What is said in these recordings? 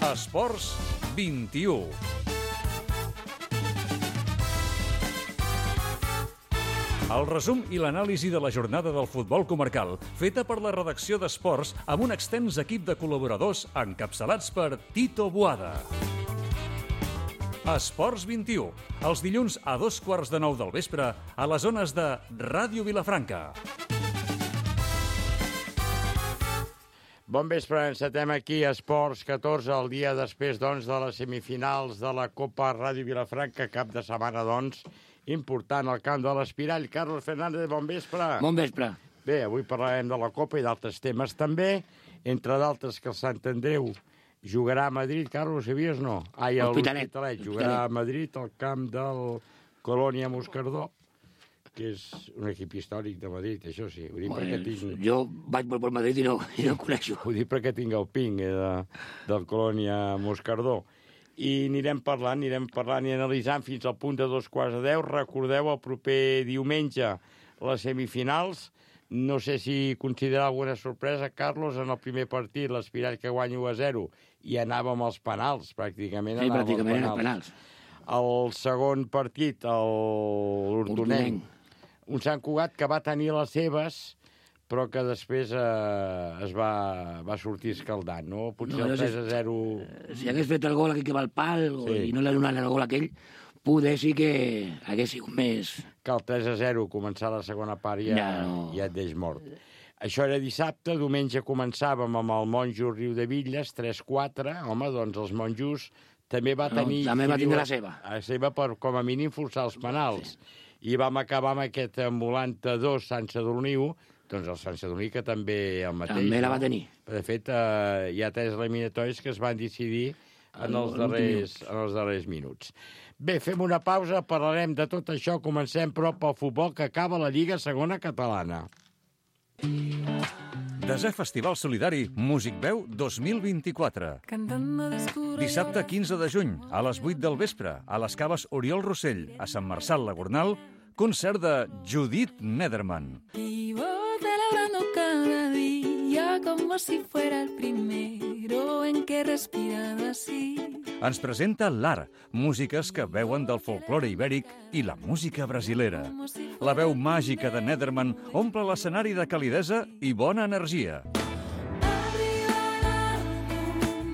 Esports 21. El resum i l'anàlisi de la jornada del futbol comarcal, feta per la redacció d'Esports amb un extens equip de col·laboradors encapçalats per Tito Boada. Esports 21, els dilluns a 8:15 del vespre a les zones de Ràdio Vilafranca. Bon vespre, encetem aquí a Esports 14, el dia després, doncs, de les semifinals de la Copa Ràdio Vilafranca, cap de setmana, doncs, important al camp de l'Espirall. Carlos Fernández, bon vespre. Bon vespre. Bé, avui parlarem de la Copa i d'altres temes també, entre d'altres que el Sant Andreu jugarà a Madrid. Carlos, sabies no? Ai, L'Hospitalet. Jugarà a Madrid al camp del Colònia Moscardó, que és un equip històric de Madrid, això sí. Ho dic perquè tinc... Jo vaig per Madrid i no ho coneixo. Ho dic perquè tinc el ping del Colònia Moscardó. I anirem parlant i analitzant fins al punt de 2:15. Recordeu el proper diumenge les semifinals. No sé si considerar alguna sorpresa, Carlos, en el primer partit, l'Espirall que guanya 1-0, i anàvem als penals, pràcticament. Sí, pràcticament als penals. El segon partit, l'Hortonenc. Un Sant Cugat que va tenir les seves, però que després es va sortir escaldant, no? Potser el 3-0... Si hagués fet el gol aquí que va al pal i no l'ha donat el gol aquell, poder sí que hagués sigut més... Que el 3-0 començar la segona part ja et deix mort. Això era dissabte, diumenge començàvem amb el Monjo Riudevilles, 3-4. Home, doncs els monjos també va tenir... També va tindre la seva. La seva per, com a mínim, forçar els penals. I vam acabar amb aquest ambulant 2 Sant Sadurní 1, doncs el Sant Sadurní que també el mateix. També la va tenir. De fet, hi ha 3 eliminatoris que es van decidir en els darrers minuts. Bé, fem una pausa, parlarem de tot això. Comencem, però, pel futbol que acaba la Lliga Segona Catalana. Desè Festival Solidari Músic Veu 2024. Dissabte 15 de juny, a les 8 del vespre, a les Caves Oriol Rossell, a Sant Marçal la Gornal, concert de Judith Nederman. Vivo celebrando cada día como si fuera el primero en que he respirado así. Ens presenta l'Art, músiques que veuen del folklore ibèric i la música brasilera. La veu màgica de Nederman omple l'escenari de calidesa i bona energia.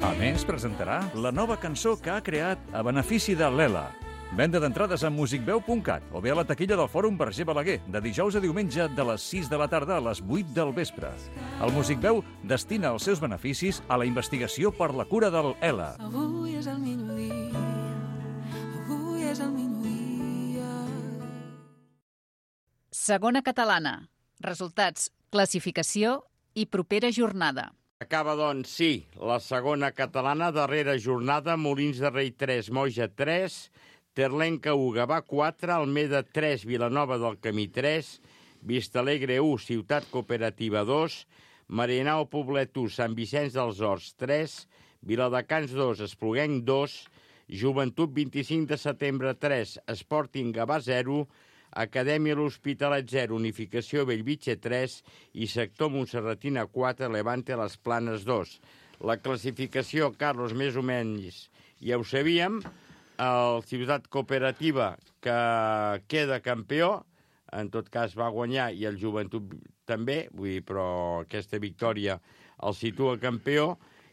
A més, presentarà la nova cançó que ha creat a benefici de l'ELA. Venda d'entrades a musicveu.cat o bé a la taquilla del Fòrum Verger Balaguer, de dijous a diumenge de les 6 de la tarda a les 8 del vespre. El Musicveu destina els seus beneficis a la investigació per la cura del ELA. Avui és el millor dia, avui és el millor dia. Segona catalana. Resultats, classificació i propera jornada. Acaba, doncs, sí, la segona catalana, darrera jornada, Molins de Rei 3, Moja 3, Terlenca 1, Gavà 4, Almeda 3, Vilanova del Camí 3, Vistalegre 1, Ciutat Cooperativa 2, Marianao Poblet 1, Sant Vicenç dels Horts 3, Viladecans 2, Espluguenc 2, Joventut 25 de setembre 3, Sporting Gavà 0, Acadèmia L'Hospitalet 0, Unificació Bellvitge 3 i Sector Montserratina 4, Levante Les Planes 2. La classificació, Carlos, més o menys, ja ho sabíem. El Ciutat Cooperativa, que queda campió, en tot cas va guanyar, i el Joventut també, vull dir, però aquesta victòria el situa campió,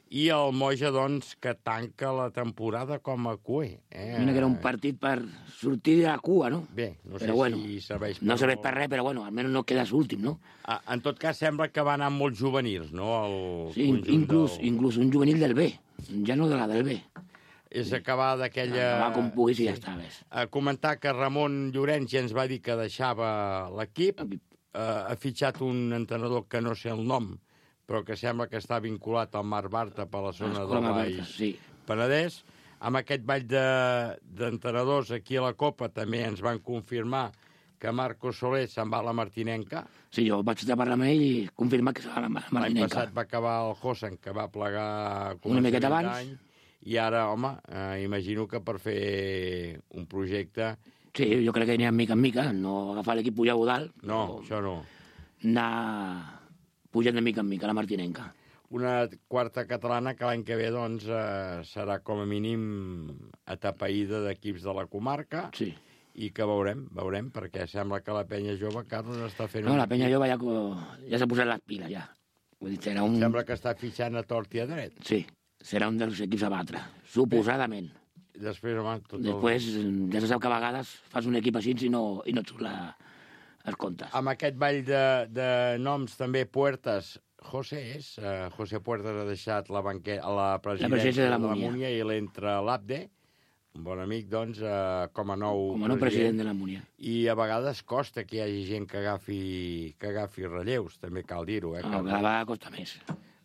i el Moja, doncs, que tanca la temporada com a cuer. Mira que era un partit per sortir de la cua, no? Bé, no sé si serveix per... No serveix per res, però bueno, almenys no quedes últim, no? En tot cas, sembla que va anar molt juvenils, no? Sí, inclús un juvenil del B, ja no de la del B. És acabar d'aquella... Acabar com puguis i ja està, ves. A comentar que Ramon Llorenç ja ens va dir que deixava l'equip, ha fitxat un entrenador que no sé el nom, però que sembla que està vinculat al Marc Bartra per la zona del Baix Penedès. Amb aquest ball d'entrenadors aquí a la Copa també ens van confirmar que Marco Soler se'n va a la Martinenca. Sí, jo vaig estar parlant amb ell i confirmar que se'n va a la Martinenca. L'any passat va acabar el Hossen, que va plegar una miqueta abans. I ara, home, imagino que per fer un projecte... Sí, jo crec que anirà mica en mica, no agafar l'equip pujar a dalt. No, això no. Anar pujant de mica en mica a la Martinenca. una quarta catalana que l'any que ve doncs, serà com a mínim atapeïda d'equips de la comarca. Sí. I que veurem, perquè sembla que la penya jove, Carlos, està fent... No, la penya jove ja s'ha posat les piles, ja. Vull dir, serà un... Sembla que està fitxant a tort i a dret. Sí, serà un dels equips a batre, suposadament. Després, home, Després, ja se sap que a vegades fas un equip així i no et surt els comptes. Amb aquest ball de noms també, Puertas, José Puertas ha deixat la presidència de la Múnia i l'entra l'Abde, un bon amic, doncs, com a nou president de la Múnia. I a vegades costa que hi hagi gent que agafi relleus, també cal dir-ho. Cada vegada costa més.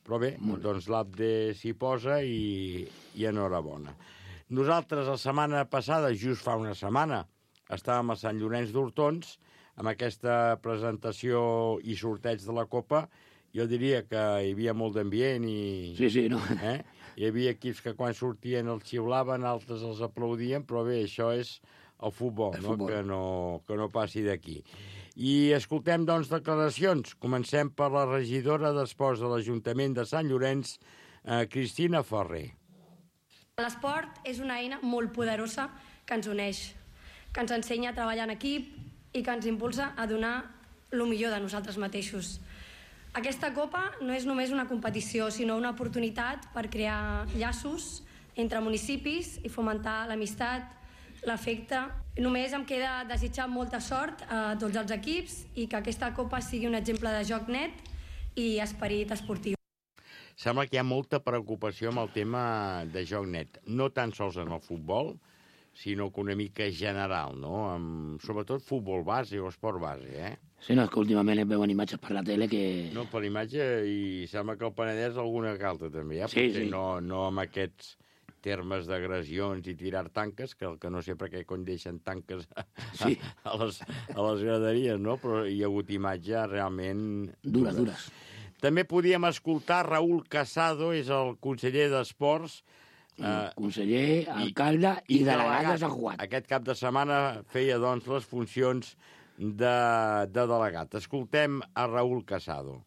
Però bé, doncs l'Abde s'hi posa i enhorabona. Nosaltres, la setmana passada, just fa una setmana, estàvem a Sant Llorenç d'Hortons, amb aquesta presentació i sorteig de la Copa. Jo diria que hi havia molt d'ambient i... Sí, no. Hi havia equips que quan sortien els xiulaven, altres els aplaudien, però bé, això és el futbol, que no passi d'aquí. I escoltem, doncs, declaracions. Comencem per la regidora d'Esports de l'Ajuntament de Sant Llorenç, Cristina Ferrer. L'esport és una eina molt poderosa que ens uneix, que ens ensenya a treballar en equip i que ens impulsa a donar el millor de nosaltres mateixos. Aquesta Copa no és només una competició, sinó una oportunitat per crear llaços entre municipis i fomentar l'amistat, l'afecte. Només em queda desitjar molta sort a tots els equips i que aquesta Copa sigui un exemple de joc net i esperit esportiu. Sembla que hi ha molta preocupació amb el tema de joc net, no tan sols en el futbol, sinó que una mica general, no? Sobretot futbol base o esport base, Sí, no, és que últimament es veuen imatges per la tele que... No, per imatge, i sembla que el Penedès alguna calta també, Sí. No amb aquests termes d'agressions i tirar tanques, que el que no sé per què deixen tanques a les graderies, no? Però hi ha hagut imatges realment... Dures. També podíem escoltar Raúl Casado, és el conseller d'Esports, conseller, alcalde i delegat de Sant Juan. Aquest cap de setmana feia, doncs, les funcions de delegat. Escoltem a Raúl Casado.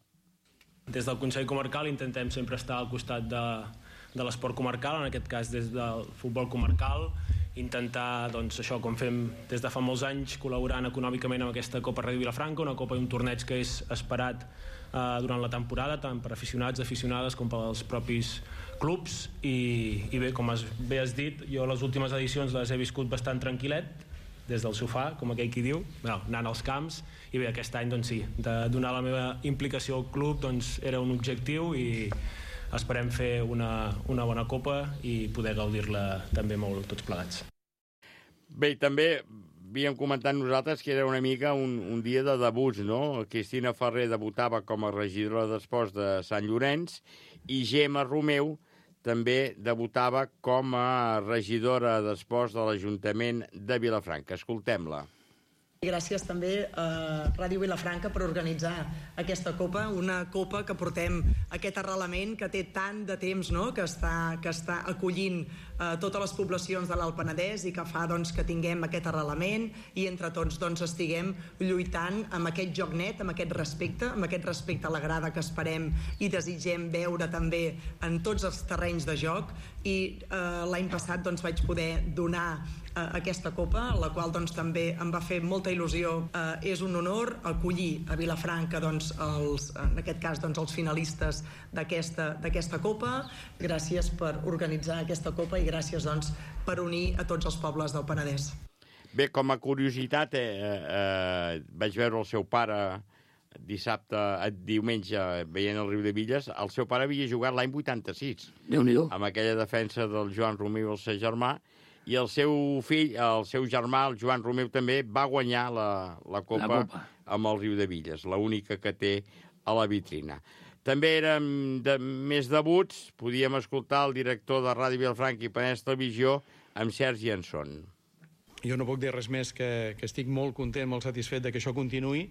Des del Consell Comarcal intentem sempre estar al costat de l'esport comarcal, en aquest cas des del futbol comarcal, intentar, doncs, això, com fem des de fa molts anys, col·laborant econòmicament amb aquesta Copa Ràdio Vilafranca, una copa i un torneig que és esperat durant la temporada, tant per aficionats, aficionades, com pels propis clubs. I bé, com bé has dit, jo les últimes edicions les he viscut bastant tranquil·let, des del sofà, com aquell qui diu, anant als camps, i bé, aquest any, doncs sí, de donar la meva implicació al club, doncs era un objectiu i esperem fer una bona copa i poder gaudir-la també molt tots plegats. Bé, també havíem comentat nosaltres que era una mica un dia de debuts, no? Cristina Ferrer debutava com a regidora d'Esports de Sant Llorenç i Gemma Romeu també debutava com a regidora d'Esports de l'Ajuntament de Vilafranca. Escoltem-la. Gràcies també a Ràdio Vilafranca per organitzar aquesta copa, una copa que portem aquest arrelament que té tant de temps, no? que està acollint totes les poblacions de l'Alt Penedès i que fa que tinguem aquest arrelament i entre tots estiguem lluitant amb aquest joc net, amb aquest respecte a la grada que esperem i desitgem veure també en tots els terrenys de joc. I l'any passat vaig poder donar aquesta copa, la qual també em va fer molta il·lusió. És un honor acollir a Vilafranca, en aquest cas, els finalistes d'aquesta copa. Gràcies per organitzar aquesta copa i gràcies per unir a tots els pobles del Penedès. Bé, com a curiositat, vaig veure el seu pare diumenge veient el Riudebitlles. El seu pare havia jugat l'any 86. Déu-n'hi-do. Amb aquella defensa del Joan Romeu, el seu germà, i el seu fill, el seu germà, el Joan Romeu, també va guanyar la copa amb el Riudebitlles, l'única que té a la vitrina. També érem més debuts, podíem escoltar el director de Ràdio Vilafranca i Penedès Televisió, amb Sergi Anson. Jo no puc dir res més que estic molt content, molt satisfet de que això continuï,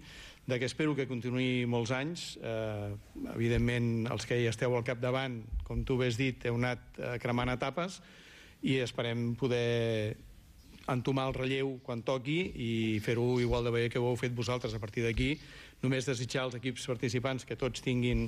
de que espero que continuï molts anys. Evidentment, els que hi esteu al capdavant, com tu bé has dit, heu anat cremant etapes i esperem poder entomar el relleu quan toqui i fer-ho igual de bé que ho heu fet vosaltres. A partir d'aquí, només desitjar als equips participants que tots tinguin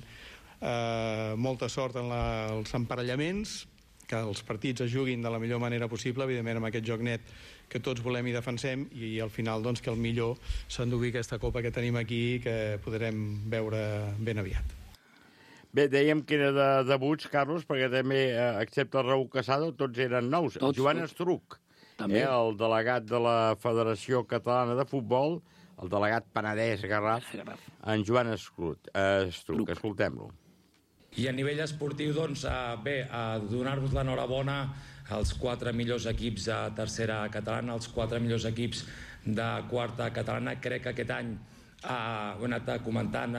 molta sort en els emparellaments, que els partits es juguin de la millor manera possible, evidentment amb aquest joc net que tots volem i defensem, i al final doncs, que el millor s'endugui aquesta copa que tenim aquí i que podrem veure ben aviat. Bé, dèiem que era de debuts, Carlos, perquè també, excepte el Raúl Casado, tots eren nous. Joan Estruc, el delegat de la Federació Catalana de Futbol, el delegat Penedès Garraf, en Joan Estruc. Escoltem-lo. I a nivell esportiu, doncs, bé, donar-vos l'enhorabona als 4 millors equips de tercera catalana, als 4 millors equips de quarta catalana. Crec que aquest any, ho he anat comentant,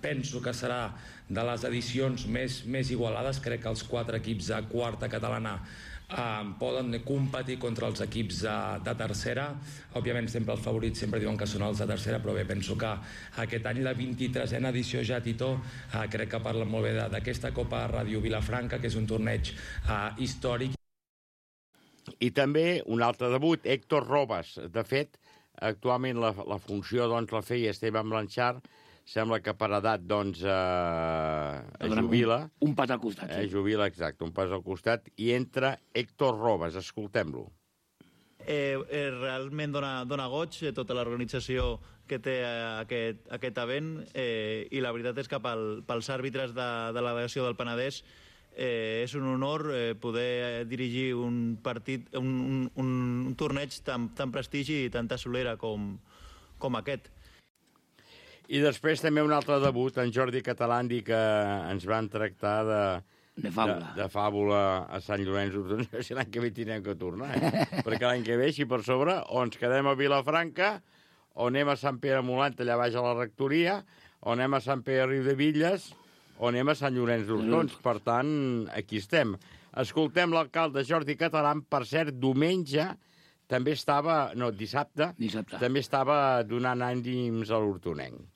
penso que serà de les edicions més igualades. Crec que els 4 equips de quarta catalana poden competir contra els equips de tercera. Òbviament sempre els favorits sempre diuen que són els de tercera, però bé, penso que aquest any la 23a edició ja, Tito, crec que parla molt bé d'aquesta Copa Ràdio Vilafranca, que és un torneig històric. I també un altre debut, Héctor Robas. De fet, actualment la funció doncs, la feia Esteban Blanchard. Sembla que per edat doncs, jubila. Un pas al costat. Jubila, exacte, un pas al costat. I entra Héctor Robas. Escoltem-lo. Realment dona goig tota l'organització que té aquest event, i la veritat és que pels àrbitres de la delegació del Penedès és un honor poder dirigir un partit, un torneig tan prestigi i tanta solera com aquest. I després també un altre debut, en Jordi Catalandi, que ens van tractar de fàbula a Sant Llorenç d'Hortons. No sé si l'any que ve tindrem que tornar, perquè l'any que ve, si per sobre, o ens quedem a Vilafranca, o anem a Sant Pere Molant, allà baix a la rectoria, o anem a Sant Pere Riudebitlles, o anem a Sant Llorenç d'Hortons. Per tant, aquí estem. Escoltem l'alcalde Jordi Català. Per cert, diumenge també estava, dissabte, també estava donant ànims a l'hortonenc.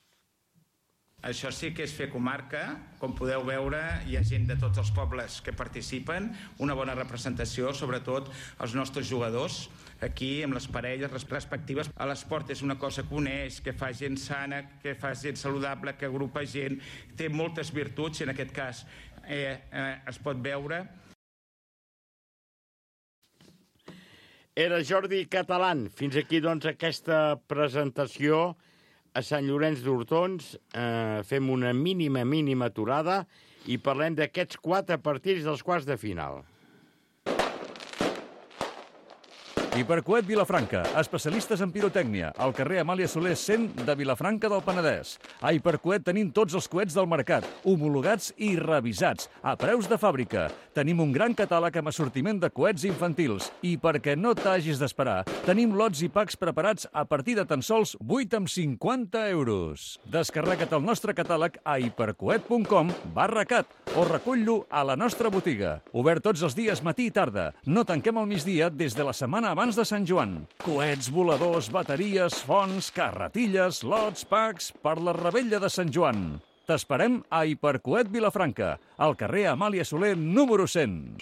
Això sí que és fer comarca. Com podeu veure, hi ha gent de tots els pobles que participen, una bona representació, sobretot els nostres jugadors, aquí amb les parelles respectives. L'esport és una cosa que uneix, que fa gent sana, que fa gent saludable, que agrupa gent, té moltes virtuts, i en aquest cas es pot veure. Era Jordi Català. Fins aquí, doncs, aquesta presentació a Sant Llorenç d'Hortons. Fem una mínima aturada i parlem d'aquests 4 partits dels quarts de final. Hipercoet Vilafranca, especialistes en pirotècnia, al carrer Amàlia Soler 100 de Vilafranca del Penedès. A Hipercoet tenim tots els coets del mercat, homologats i revisats, a preus de fàbrica. Tenim un gran catàleg amb assortiment de coets infantils. I perquè no t'hagis d'esperar, tenim lots i packs preparats a partir de tan sols 8,50 €. Descarrega't el nostre catàleg a hipercoet.com/cat o recull-lo a la nostra botiga. Obert tots els dies matí i tarda. No tanquem al migdia des de la setmana abans de Sant Joan. Coets, voladors, bateries, fonts, carretilles, lots, packs per la revetlla de Sant Joan. T'esperem a Hipercoet Vilafranca, al carrer Amàlia Soler número 100.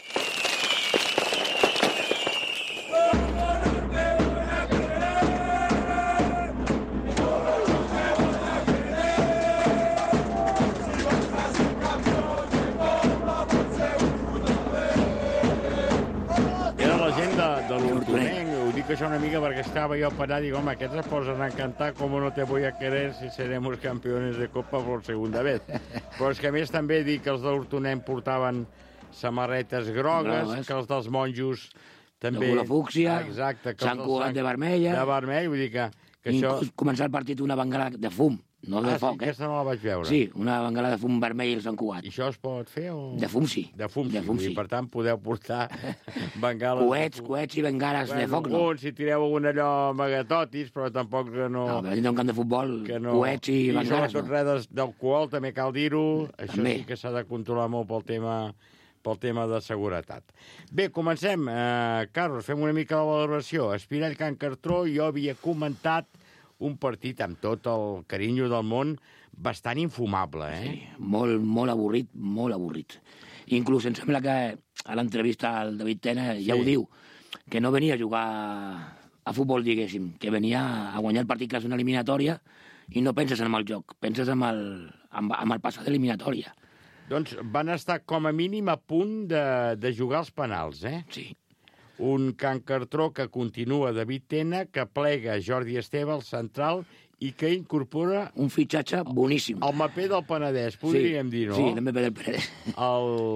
Això una mica perquè estava jo parat i dic, home, aquests es posen a cantar com no te voy a querer si seremos campeones de Copa por segunda vez. Però és que a més també dic que els de l'Hortonenc portaven samarretes grogues, que els dels monjos també... De color fúcsia, Sant Cugat de vermella... De vermell, vull dir que això... Començar el partit una bengala de fum, no de foc, sí, aquesta no la vaig veure. Sí, una bengala de fum vermell al Sant Cugat. I això es pot fer o...? De fum, sí. De fum, sí. I per tant podeu portar bengales... Coets i bengales de foc, no. Si tireu algun allò amagatotis, però tampoc no... No, però dintre un camp de futbol, coets i bengales, no. I sobretot res d'alcohol, també cal dir-ho. Això sí que s'ha de controlar molt pel tema de seguretat. Bé, comencem. Carlos, fem una mica la valoració. Espirall Can Cartró, jo havia comentat un partit amb tot el carinyo del món bastant infumable, Sí, molt avorrit, molt avorrit. Inclús em sembla que a l'entrevista al David Tena ja ho diu, que no venia a jugar a futbol, diguéssim, que venia a guanyar el partit que és una eliminatòria i no penses en el joc, penses en el passat d'eliminatòria. Doncs van estar com a mínim a punt de jugar els penals, Sí. Un Can Cartró que continua David Tena, que plega Jordi Esteve al central i que incorpora... Un fitxatge boníssim. El maper del Penedès, podríem dir, no? Sí, el maper del Penedès.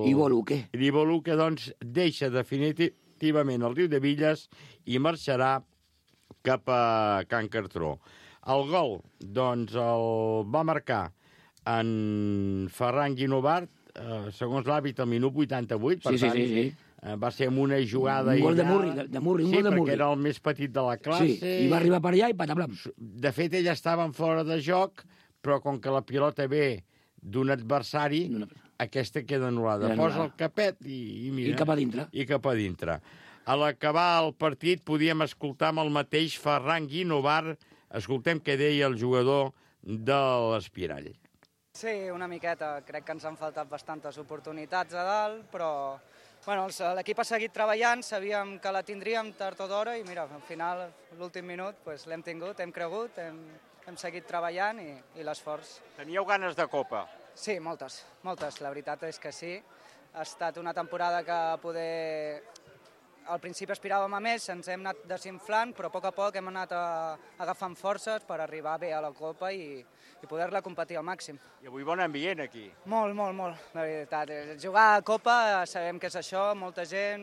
Ivo Luque. Ivo Luque, doncs, deixa definitivament el Riu de Villes i marxarà cap a Can Cartró. El gol, doncs, el va marcar en Ferran Guinovart, segons l'hàbit, al minut 88, per tant, va ser amb una jugada... Un gol de Murri, sí, un gol de Murri. perquè era el més petit de la classe. Sí, i va arribar per allà i pataplam. De fet, ell estava en fora de joc, però com que la pilota ve d'un adversari, aquesta queda anul·lada. Posa el capet i mira... I cap a dintre. I cap a dintre. A l'acabar el partit podíem escoltar amb el mateix Ferran Guinovart. Escoltem què deia el jugador de l'Espirall. Sí, una miqueta. Crec que ens han faltat bastantes oportunitats a dalt, però bueno, l'equip ha seguit treballant, sabíem que la tindríem tard o d'hora i mira, al final, l'últim minut, pues, l'hem tingut, hem cregut, hem seguit treballant i l'esforç. Teníeu ganes de Copa? Sí, moltes. La veritat és que sí. Ha estat una temporada que poder... Al principi aspiràvem a més, ens hem anat desinflant, però a poc hem anat agafant forces per arribar bé a la Copa i poder-la competir al màxim. I avui bon ambient aquí. Molt, la veritat. Jugar a Copa sabem que és això, molta gent,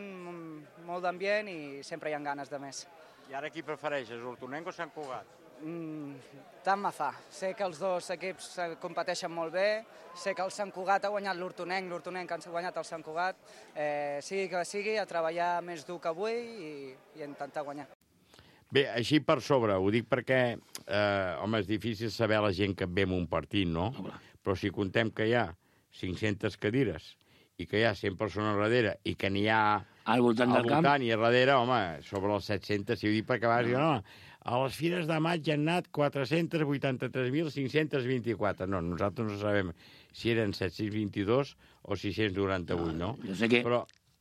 molt d'ambient i sempre hi ha ganes de més. I ara qui prefereixes, Hortonenc o Sant Cugat? Tant me fa. Sé que els dos equips competeixen molt bé, sé que el Sant Cugat ha guanyat l'Hortonenc ha guanyat el Sant Cugat. Sigui que sigui, a treballar més dur que avui i intentar guanyar. Bé, així per sobre, ho dic perquè, home, és difícil saber la gent que ve en un partit, no? Però si contem que hi ha 500 cadires i que hi ha 100 persones darrere i que n'hi ha al voltant del camp i a darrere, home, sobre els 700, si ho dic perquè a vegades diuen, a les fires de maig hi han anat 483.524. No, nosaltres no sabem si eren 722 o 698, no? Jo sé que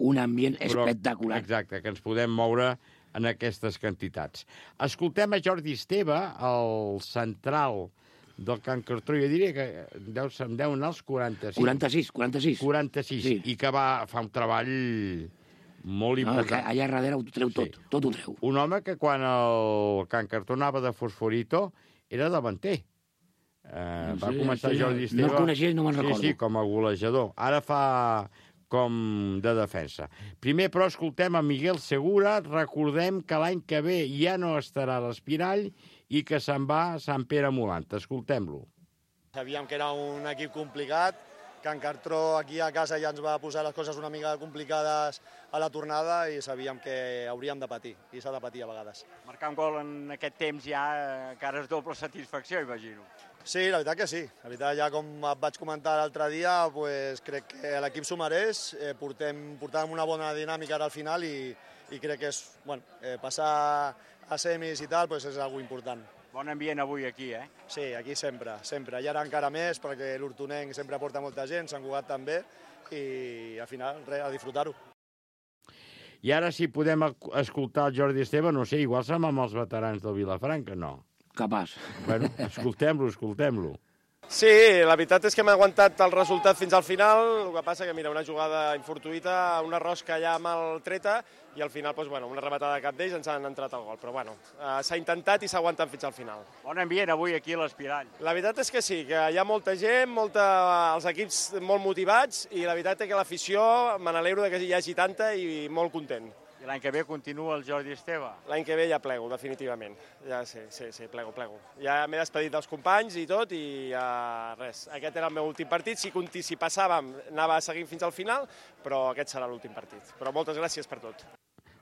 un ambient espectacular. Exacte, que ens podem moure en aquestes quantitats. Escoltem a Jordi Esteve, el central del Can Cartró, jo diria que em deuen anar als 46. 46, sí. I que fa un treball molt important. Allà darrere ho treu tot ho treu. Un home que quan el Can Cartró anava de Fosforito era davanter. Va començar Jordi Esteve... No el coneixia i no me'n recordo. Sí, com a golejador. Ara fa com de defensa. Primer, però, escoltem a Miguel Segura. Recordem que l'any que ve ja no estarà a l'Espirall i que se'n va a Sant Pere Molant. Escoltem-lo. Sabíem que era un equip complicat. Can Cartró aquí a casa ja ens va posar les coses una mica complicades a la tornada i sabíem que hauríem de patir, i s'ha de patir a vegades. Marcar un gol en aquest temps ja encara és doble satisfacció, imagino. Sí, la veritat que sí. La veritat, ja com et vaig comentar l'altre dia, pues, crec que l'equip s'ho mereix. Portàvem una bona dinàmica ara al final i crec que és, passar a semis i tal pues, és algo important. Bon ambient avui aquí, Sí, aquí sempre. I ara encara més, perquè l'Hortonenc sempre porta molta gent, Sant Cugat també, i al final, res, a disfrutar-ho. I ara, si podem escoltar el Jordi Esteve, no sé, igual som amb els veterans del Vilafranca, no? Capaç. Bueno, escoltem-lo. Sí, la veritat és que hem aguantat el resultat fins al final, el que passa que, mira, una jugada infortuïta, una rosca allà mal treta, i al final, doncs, una rematada de cap d'ells ens han entrat al gol. Però, s'ha intentat i s'ha aguantat fins al final. Bon ambient avui aquí a l'Espirall. La veritat és que sí, que hi ha molta gent, els equips molt motivats, i la veritat és que l'afició, me n'alegro que hi hagi tanta i molt content. I l'any que ve continua el Jordi Esteve? L'any que ve ja plego, definitivament. Ja sí, plego. Ja m'he despedit dels companys i tot, i res. Aquest era el meu últim partit. Si passàvem, anava seguint fins al final, però aquest serà l'últim partit. Però moltes gràcies per tot.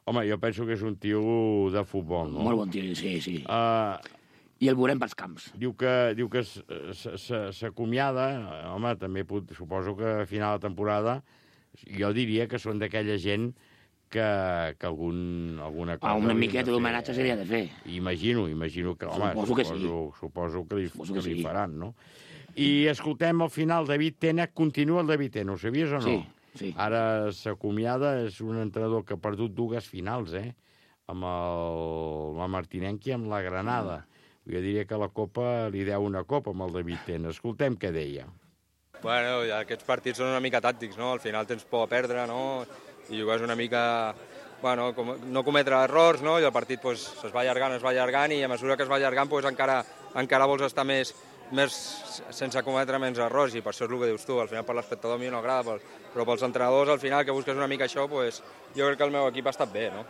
Home, jo penso que és un tio de futbol, no? Molt bon tio, sí. I el veurem pels camps. Diu que s'acomiada, home, també suposo que a final de temporada, jo diria que són d'aquella gent que alguna cosa... Una miqueta d'homenatge seria de fer. Imagino que, home, suposo que li faran, no? I escoltem al final David Tena, continua el David Tena, ho sabies o no? Sí. Ara s'acomiada, és un entrenador que ha perdut 2 finals, amb la Martinenc i amb la Granada. Jo diria que la Copa li deu una Copa amb el David Tena. Escoltem què deia. Bueno, aquests partits són una mica tàctics, no? Al final tens por a perdre, no? I jugues una mica... Bueno, no cometre errors, no? I el partit pues, es va allargant, i a mesura que es va allargant pues, encara vols estar més sense cometre menys errors, i per això és el que dius tu. Al final per l'espectador a mi no agrada, però pels entrenadors al final que busques una mica això, pues, jo crec que el meu equip ha estat bé, no?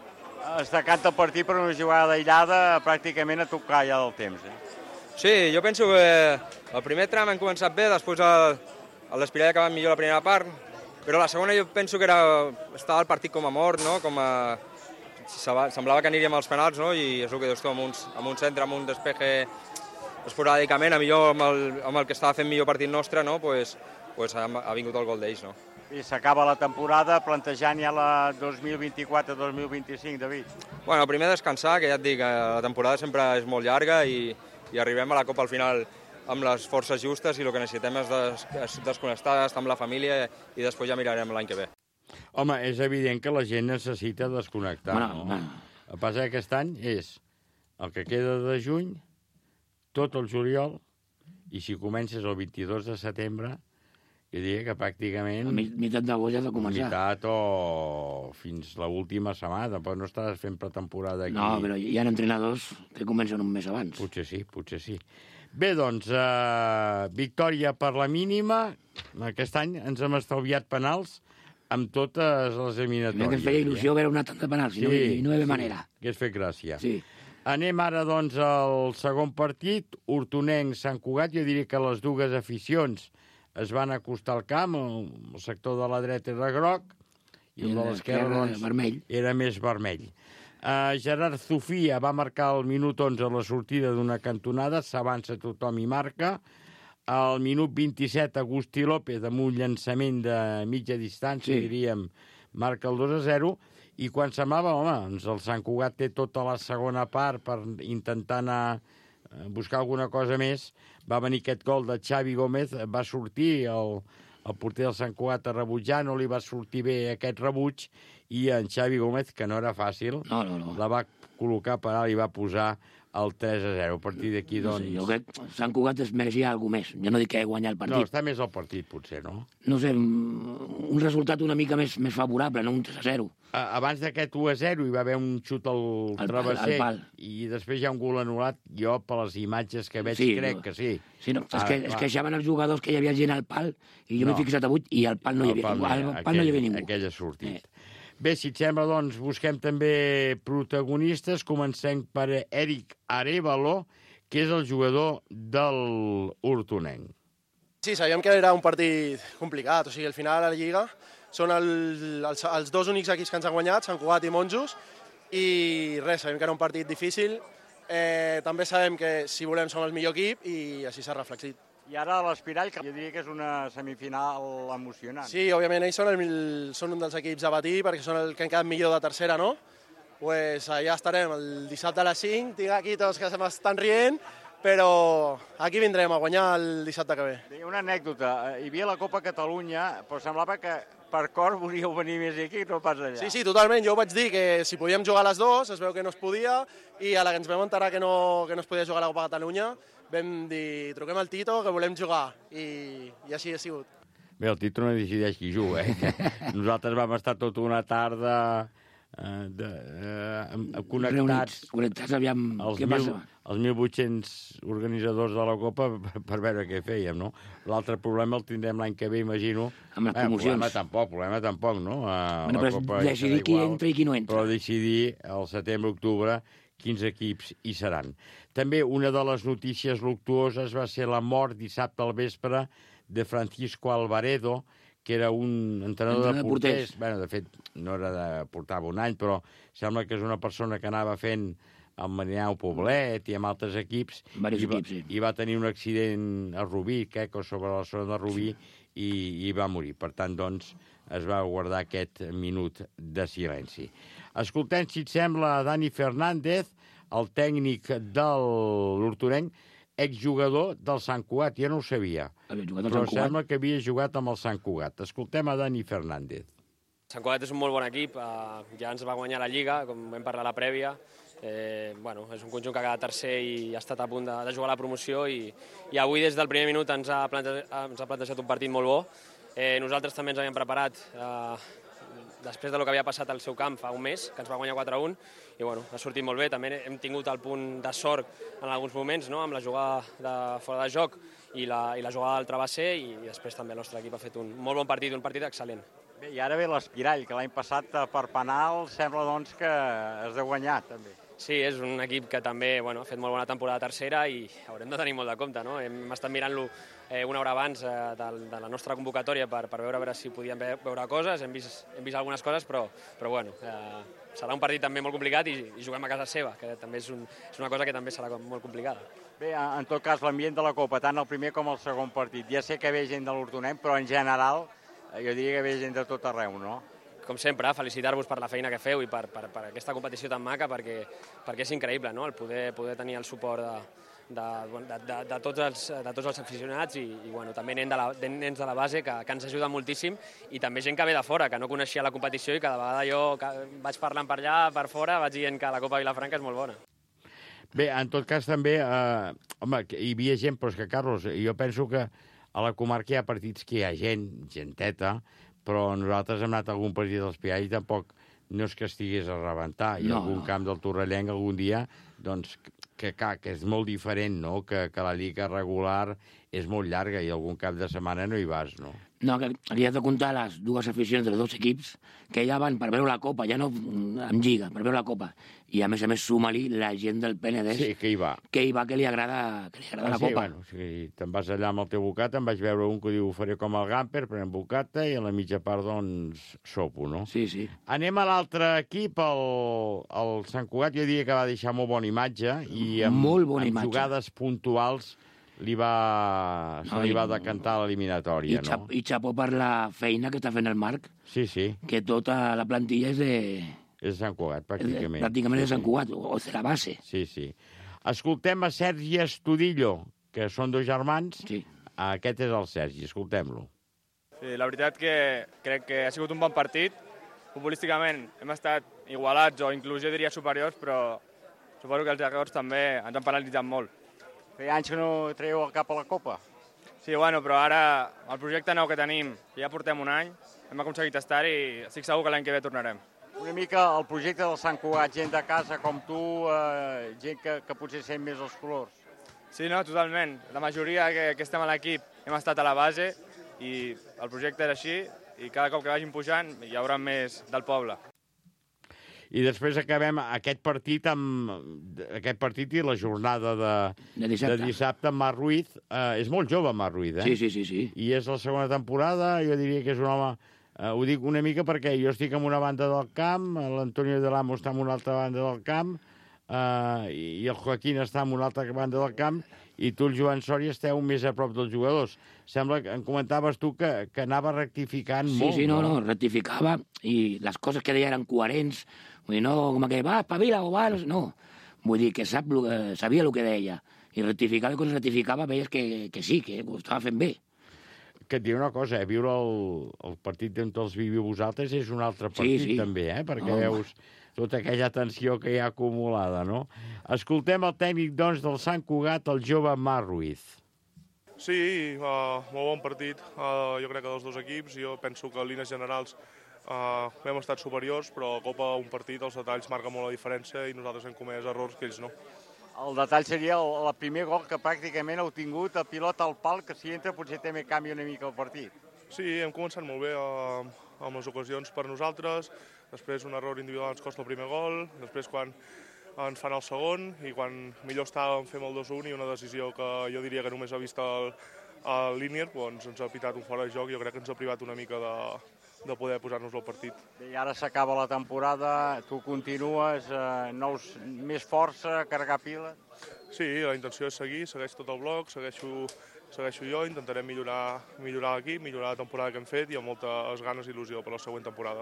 Es decanta el partit per una jugada aïllada pràcticament a tocar ja del temps, Sí, jo penso que el primer tram hem començat bé, després l'Espirall ha acabat millor la primera part, però la segona jo penso que estava el partit com a mort, no? Semblava que aniríem als penals, no? I és el que dius tu, amb un centre, amb un despeje esporàdicament, millor amb el que estava fent millor partit nostre, no? Pues ha vingut el gol d'ells, no? I s'acaba la temporada plantejant ja la 2024-2025, David. Bueno, primer descansar, que ja et dic, la temporada sempre és molt llarga i arribem a la Copa al final amb les forces justes, i el que necessitem és desconnectar, estar amb la família, i després ja mirarem l'any que ve. Home, és evident que la gent necessita desconnectar, no? El que passa que aquest any és el que queda de juny, tot el juliol, i si comences el 22 de setembre, jo diria que pràcticament... A meitat d'agost ja ha de començar. Meitat o fins l'última setmana, però no estàs fent pretemporada aquí. No, però hi ha entrenadors que comencen un mes abans. Potser sí. Bé, doncs, victòria per la mínima. Aquest any ens hem estalviat penals amb totes les eliminatòries. Que ens feia il·lusió veure una tanda de penals, i no hi havia manera. Hagués fet gràcia. Sí. Anem ara, doncs, al segon partit. Hortonenc-Sant Cugat. Jo diria que les dues aficions es van acostar al camp. El sector de la dreta era groc i el de l'esquerra doncs, era més vermell. Gerard Zufia va marcar al minut 11 a la sortida d'una cantonada, s'avança tothom i marca. Al minut 27, Agustí López, amb un llançament de mitja distància, diríem, marca el 2-0, i quan semblava, el Sant Cugat té tota la segona part per intentar anar a buscar alguna cosa més, va venir aquest gol de Xavi Gómez, va sortir el porter del Sant Cugat a rebutjar, no li va sortir bé aquest rebuig, i en Xavi Gómez, que no era fàcil, la va col·locar per alt i va posar el 3-0. A partir d'aquí, doncs... Jo crec que Sant Cugat es mereixia alguna més. Jo no dic que guanyar el partit. No, està més al partit, potser, no? No sé, un resultat una mica més favorable, no un 3-0. Abans d'aquest 1-0 hi va haver un xut al travesser i després hi ha un gol anul·lat. Jo, per les imatges que veig, crec que sí. Sí, no, és que es queixaven els jugadors que hi havia gent al pal i jo m'he fixat avui i al pal no hi havia ningú. Aquell ha sortit. Bé, si et sembla, doncs, busquem també protagonistes. Comencem per Eric Arévalo, que és el jugador del Hortonenc. Sí, sabíem que era un partit complicat. O sigui, al final a la Lliga són els dos únics equips que ens han guanyat, Sant Cugat i Monjos, i res, sabíem que era un partit difícil. També sabem que si volem som el millor equip i així s'ha reflexit. I ara l'Espirall, que jo diria que és una semifinal emocionant. Sí, òbviament ells són un dels equips a batir perquè són el que han quedat millor de tercera, no? Pues allà estarem el dissabte a les 5, tinc aquí tots que se m'estan rient, però aquí vindrem a guanyar el dissabte que ve. Una anècdota, hi havia la Copa Catalunya, però semblava que per cor volíeu venir més aquí, no pas allà. Sí, totalment. Jo vaig dir que si podíem jugar a les dues, es veu que no es podia, i a la que ens vam enterar que no es podia jugar a la Copa Catalunya, vam dir, truquem al Tito, que volem jugar, i així ha sigut. Bé, el Tito no decideix qui juga, Nosaltres vam estar tota una tarda connectats. Connectats, aviam, què passa? Els 1.800 organitzadors de la Copa per veure què fèiem, no? L'altre problema el tindrem l'any que ve, imagino. Amb les promocions. Problema tampoc, no? Però decidir qui entra i qui no entra. Però decidir al setembre-octubre quins equips hi seran. També una de les notícies luctuoses va ser la mort dissabte al vespre de Francisco Alvaredo, que era un entrenador de porters. Bé, de fet, no era de portava un any, però sembla que és una persona que anava fent el Marineu Poblet i amb altres equips. I va tenir un accident a Rubí, o sobre la zona de Rubí, i va morir. Per tant, doncs, es va guardar aquest minut de silenci. Escoltem, si et sembla, Dani Fernández, el tècnic de l'Hortonenc, exjugador del Sant Cugat. Jo no ho sabia, però sembla que havia jugat amb el Sant Cugat. Escoltem a Dani Fernández. Sant Cugat és un molt bon equip, ja ens va guanyar la Lliga, com vam parlar a la prèvia. És un conjunt que ha quedat tercer i ha estat a punt de jugar a la promoció i avui des del primer minut ens ha plantejat un partit molt bo. Nosaltres també ens havíem preparat després del que havia passat al seu camp fa un mes, que ens va guanyar 4-1, i ha sortit molt bé. També hem tingut el punt de sort en alguns moments, amb la jugada de fora de joc i la jugada del travesser, i després també el nostre equip ha fet un molt bon partit, un partit excel·lent. Bé, i ara ve l'Espirall, que l'any passat per penal sembla doncs que has de guanyar també. Sí, és un equip que també ha fet molt bona temporada tercera i haurem de tenir molt de compte, no? Hem estat mirant-lo una hora abans de la nostra convocatòria per veure si podíem veure coses, hem vist algunes coses, però serà un partit també molt complicat i juguem a casa seva, que també és una cosa que també serà molt complicada. Bé, en tot cas, l'ambient de la Copa, tant el primer com el segon partit, ja sé que ve gent de l'Hortonem, però en general jo diria que ve gent de tot arreu, no? Com sempre, felicitar-vos per la feina que feu i per aquesta competició tan maca, perquè és increïble, no?, el poder tenir el suport de tots els aficionats i també nens de la base que ens ajuden moltíssim, i també gent que ve de fora, que no coneixia la competició i cada vegada jo vaig parlant per allà, per fora, vaig dient que la Copa Vilafranca és molt bona. Bé, en tot cas també, hi havia gent, però és que, Carlos, jo penso que a la comarca hi ha partits que hi ha genteta, però nosaltres hem anat a algun partit dels Pialls i tampoc no és que estigués a rebentar. Hi ha algun camp del Torrellenc algun dia, doncs, que és molt diferent, no?, que la lliga regular és molt llarga i algun cap de setmana no hi vas, no? No, que aquí has de comptar les dues aficions dels dos equips, que ja van per veure la Copa, ja no en Lliga, per veure la Copa. I a més suma-li la gent del Penedès. Sí, que hi va. Que li agrada la Copa. Bueno, si te'n vas allà amb el teu bocata, em vaig veure un que diu, ho faré com el Gamper, prenent bocata, i a la mitja part, doncs, sopo, no? Sí, sí. Anem a l'altre equip, el Sant Cugat, jo diria que va deixar molt bona imatge, i amb jugades puntuals se li va decantar l'eliminatòria, no? I xapó per la feina que està fent el Marc. Sí, sí. Que tota la plantilla és de... És de Sant Cugat, pràcticament. Pràcticament és de Sant Cugat, o de la base. Sí, sí. Escoltem a Sergi Estudillo, que són dos germans. Sí. Aquest és el Sergi, escoltem-lo. Sí, la veritat que crec que ha sigut un bon partit. Futbolísticament hem estat igualats o inclús jo diria superiors, però suposo que els errors també ens han penalitzat molt. Feia anys que no traieu el cap a la Copa. Sí, bueno, però ara el projecte nou que tenim, ja portem un any, hem aconseguit estar i estic segur que l'any que ve tornarem. Una mica el projecte del Sant Cugat, gent de casa com tu, gent que potser sent més els colors. Sí, no, totalment. La majoria que estem a l'equip hem estat a la base i el projecte era així i cada cop que vagin pujant hi haurà més del poble. I després acabem aquest partit i la jornada de dissabte amb Marc Ruiz. És molt jove, Marc Ruiz, eh? Sí. I és la segona temporada, jo diria que és un home... Ho dic una mica perquè jo estic en una banda del camp, l'Antonio de Lamo està en una altra banda del camp, i el Joaquín està en una altra banda del camp, i tu, el Joan Sòria, esteu més a prop dels jugadors. Sembla que em comentaves tu que anava rectificant molt. Sí, no, rectificava, i les coses que deia eren coherents. Vull dir, no com que va, espavila o va... No, vull dir que sabia el que deia. I rectificava, i quan rectificava veies que sí, que ho estava fent bé. Que et diré una cosa, viure el partit on els viviu vosaltres és un altre partit, també, perquè veus tota aquella tensió que hi ha acumulada, no? Escoltem el tècnic, doncs, del Sant Cugat, el jove Marc Ruiz. Sí, molt bon partit, jo crec que dels dos equips. Jo penso que en línies generals hem estat superiors, però a Copa un partit, els detalls marquen molt la diferència i nosaltres hem comès errors que ells no. El detall seria el primer gol que pràcticament heu tingut, el pilot al pal, que si entra potser també canvia una mica el partit. Sí, hem començat molt bé amb les ocasions per nosaltres, després un error individual ens costa el primer gol, després quan ens fan el segon i quan millor estàvem fem el 2-1 i una decisió que jo diria que només ha vist el Línier, doncs ens ha pitat un fora de joc i jo crec que ens ha privat una mica de poder posar-nos al partit. I ara s'acaba la temporada, tu continues, més força, carregar piles? Sí, la intenció és segueix tot el bloc, segueixo jo, intentarem millorar l'equip, millorar la temporada que hem fet i amb moltes ganes i il·lusió per la següent temporada.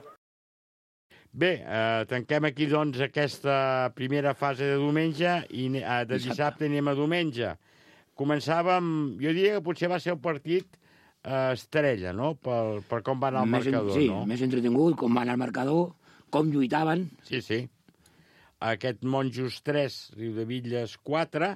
Bé, tanquem aquí, doncs, aquesta primera fase de diumenge i de dissabte anem a diumenge. Començàvem, jo diria que potser va ser el partit estrella, no?, per com va anar el marcador, no? Sí, més entretingut, com va anar el marcador, com lluitaven. Sí, sí. Aquest Monjos 3, Riudebitlles 4,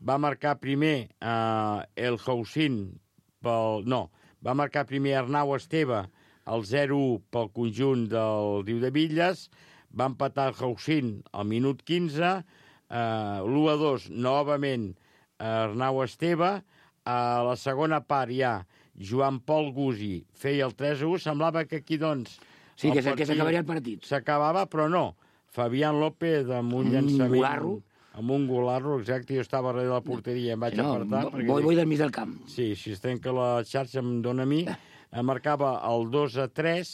va marcar primer el Haussín va marcar primer Arnau Esteve el 0-1 pel conjunt del Riudebitlles, va empatar el Haussín al minut 15, l'1-2 novament Arnau Esteve, a la segona part ja Joan Pol Gusi feia el 3-1, semblava que aquí doncs... Sí, que s'acabaria el partit. S'acabava, però no. Fabián López amb un llançament... Golarro. Amb un golarro, exacte, jo estava darrere de la porteria i em vaig apartar. Vull del mig del camp. Sí, si es trenca la xarxa em dóna a mi. Marcava el 2-3,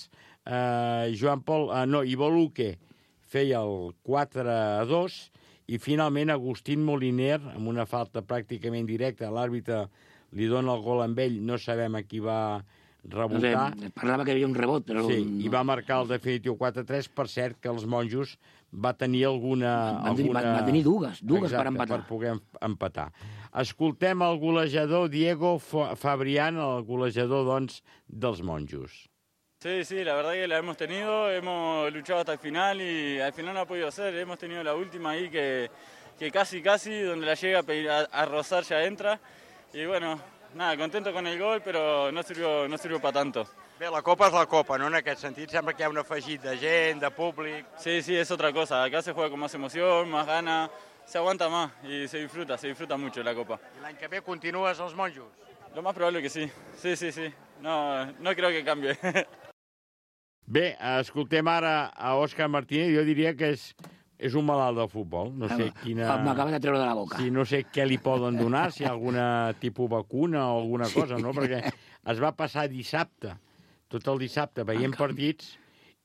Joan Pol... Ivo Luque feia el 4-2, i finalment Agustín Moliner, amb una falta pràcticament directa, l'àrbitre li dona el gol amb ell, no sabem a qui va rebotar. No sé, parlava que hi havia un rebot, però... Sí, i va marcar el definitiu 4-3, per cert que els Monjos va tenir Va tenir dues per empatar. Per poder empatar. Escoltem el golejador Diego Fabrián, el golejador, doncs, dels Monjos. Sí, la verdad que la hemos tenido, hemos luchado hasta el final y al final no ha podido ser. Hemos tenido la última ahí que casi, donde la llega a rozar ya entra. Y bueno, nada, contento con el gol, pero no sirvió para tanto. Bé, la Copa és la Copa, no? En aquest sentit sembla que hi ha un afegit de gent, de públic... Sí, es otra cosa. Acá se juega con más emoción, más ganas, se aguanta más y se disfruta mucho la Copa. I l'any que ve continues als Monjos? Lo más probable que sí. Sí. No creo que cambie. Bé, escoltem ara a Òscar Martínez, jo diria que és un malalt del futbol. No sé quina... M'acaba de treure de la boca. Sí, no sé què li poden donar, si hi ha alguna tipus vacuna o alguna cosa, no? Perquè es va passar dissabte, tot el dissabte veient partits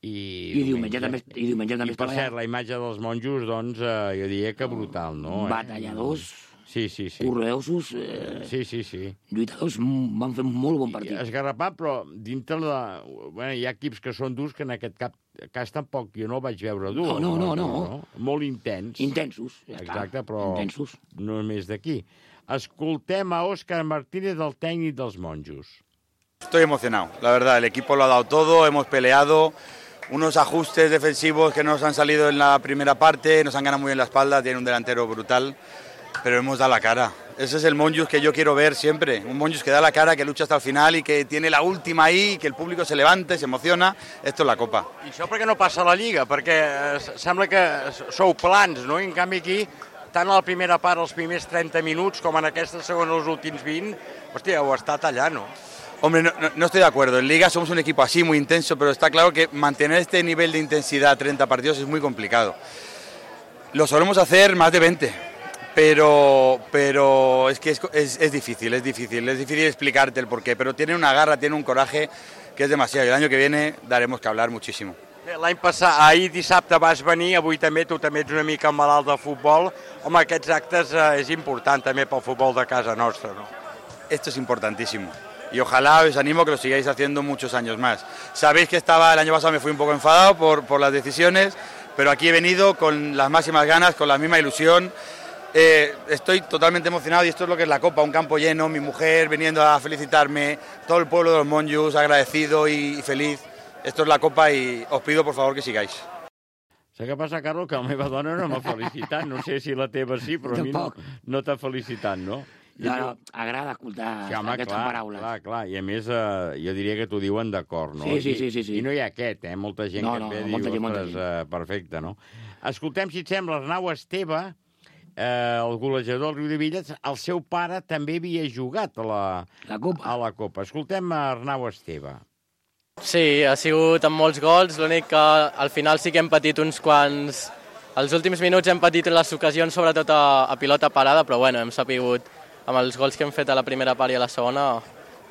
i diumenge també I per cert, la imatge dels Monjos, doncs, jo diria que brutal, no? Batalladors, sí. correosos, sí. lluitadors, van fer un molt bon partit. Esgarrapat, però dintre de... Bueno, hi ha equips que són durs, que en aquest cas tampoc jo no el vaig veure dur. No. Molt intens. Intensos, ja està. Exacte, però intensos. No més d'aquí. Escoltem a Òscar Martínez, el tècnic dels Monjos. Estoy emocionado, la verdad, el equipo lo ha dado todo, hemos peleado, unos ajustes defensivos que nos han salido en la primera parte, nos han ganado muy bien la espalda, tiene un delantero brutal, pero hemos dado la cara. Ese es el Monjos que yo quiero ver siempre, un Monjos que da la cara, que lucha hasta el final y que tiene la última ahí, que el público se levante, se emociona. Esto es la Copa. I això per què no passa a la Lliga? Perquè sembla que sou plans, no? I en canvi aquí, tant a la primera part, els primers 30 minuts, com en aquesta segona, els últims 20, hòstia, heu estat allà, no? Hombre, no estoy de acuerdo. En Liga somos un equipo así, muy intenso, pero está claro que mantener este nivel de intensidad 30 partidos es muy complicado. Lo solemos hacer más de 20, pero es que es difícil explicarte el porqué, pero tiene una garra, tiene un coraje que es demasiado. Y el año que viene daremos que hablar muchísimo. L'any passat, ahir dissabte vas venir, avui també, tu també ets una mica malalt del futbol. Home, aquests actes és important també pel futbol de casa nostra, no? Esto es importantísimo. Y ojalá os animo que lo sigáis haciendo muchos años más. Sabéis que el año pasado me fui un poco enfadado por las decisiones, pero aquí he venido con las máximas ganas, con la misma ilusión. Estoy totalmente emocionado y esto es lo que es la Copa, un campo lleno, mi mujer viniendo a felicitarme, todo el pueblo de los Monjos agradecido y feliz. Esto es la Copa y os pido por favor que sigáis. Sé què passa, Carlos, que la meva dona no m'ha felicitat. No sé si la teva sí, però a mi no t'ha felicitat, no? No, agrada escoltar aquestes paraules. Clar. I a més, jo diria que t'ho diuen d'acord, no? Sí. I no hi ha aquest, Molta gent que et ve i diu, ostres, perfecte, no? Escoltem, si et sembla, Arnau Esteve, el golejador del Riudebitlles, el seu pare també havia jugat a la Copa. Escoltem Arnau Esteve. Sí, ha sigut amb molts gols, l'únic que al final sí que hem patit uns quants... Els últims minuts hem patit les ocasions, sobretot a pilota parada, però bueno, hem sapigut, amb els gols que hem fet a la primera part i a la segona,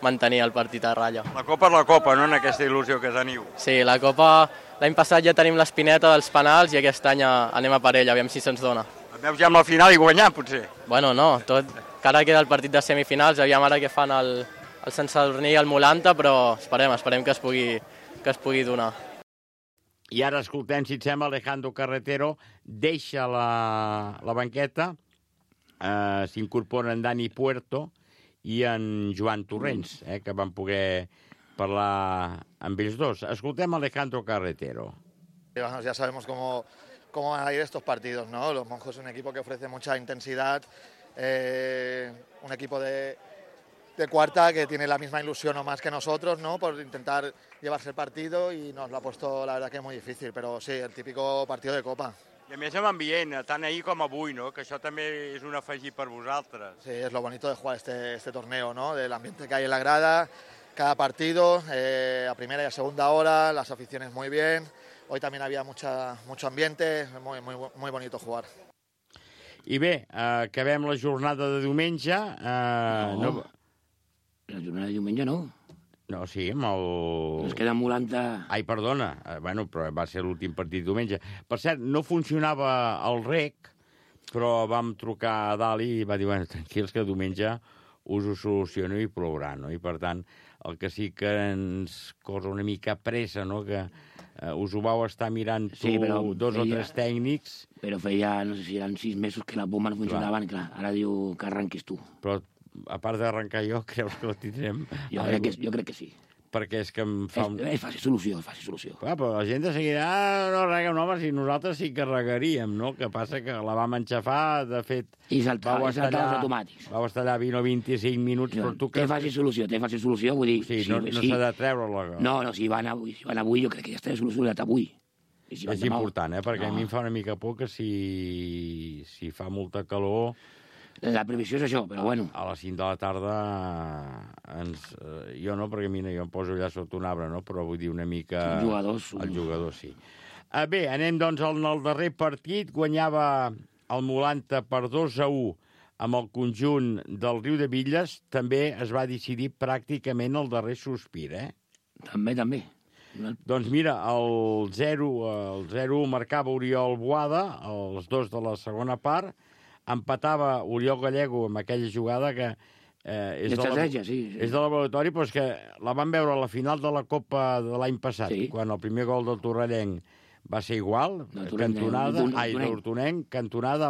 mantenir el partit a ratlla. La Copa és la Copa, no?, en aquesta il·lusió que teniu. Sí, la Copa, l'any passat ja tenim l'espineta dels penals i aquest any anem a per ell, aviam si se'ns dona. Et veus ja amb la final i guanyar, potser? Bueno, no, encara queda el partit de semifinals, aviam ara què fan el Sant Sadurní i el Molanta, però esperem que es pugui donar. I ara escoltem, si et sembla, Alejandro Carretero deixa la banqueta, s'incorpora en Dani Puerto i en Joan Torrents, que van poder parlar amb ells dos. Escoltem Alejandro Carretero. Ya sabemos cómo van a ir estos partidos, ¿no? Los Monjos es un equipo que ofrece mucha intensidad, un equipo de cuarta que tiene la misma ilusión o más que nosotros, ¿no? Por intentar llevarse el partido y nos lo ha puesto, la verdad, que muy difícil, pero sí, el típico partido de Copa. I a més amb ambient, tant ahir com avui, no? Que això també és un afegit per vosaltres. Sí, es lo bonito de jugar este torneo, ¿no? Del ambiente que hay en la grada, cada partido, a primera y a segunda hora, las aficiones muy bien. Hoy también había mucho ambiente, muy bonito jugar. I bé, acabem la jornada de diumenge. La jornada de diumenge no. No, sí, amb el... Ens queda Mulanta... Ai, perdona, bueno, però va ser l'últim partit diumenge. Per cert, no funcionava el rec, però vam trucar a dalt i va dir, bueno, tranquils, que diumenge us ho soluciono i plourà, no? I per tant, el que sí que ens cosa una mica pressa, no?, que us ho vau estar mirant dos o tres tècnics. Però feia, no sé si eren 6 mesos que les bombes no funcionaven, clar, ara diu que arranquis tu. Però, a part d'arrencar jo, creus que la tindrem? Jo crec que sí. Perquè és que em fa... És fàcil solució. Clar, però la gent de seguida, no rega, home, si nosaltres sí que regaríem, no? Que passa que la vam enxafar, de fet... I saltava els automàtics. Vau estar allà 20 o 25 minuts, però tu... Té fàcil solució, vull dir... Sí, no s'ha de treure-la. No, si van avui, jo crec que ja està solucionat avui. És important, perquè a mi em fa una mica por que si fa molta calor... La previsió és això, però bueno. A les 5 de la tarda jo no, perquè mira, jo em poso allà sota un arbre, no? Però vull dir una mica... El jugador, sí. Bé, anem doncs al darrer partit. Guanyava el Mulanta per 2-1 amb el conjunt del Riu de Villes. També es va decidir pràcticament el darrer sospir, També. Doncs mira, el 0-1 marcava Oriol Boada, els dos de la segona part. Empatava Oriol Gallego amb aquella jugada que és de laboratori, però és que la vam veure a la final de la Copa de l'any passat, quan el primer gol del Torrellenc va ser igual, cantonada,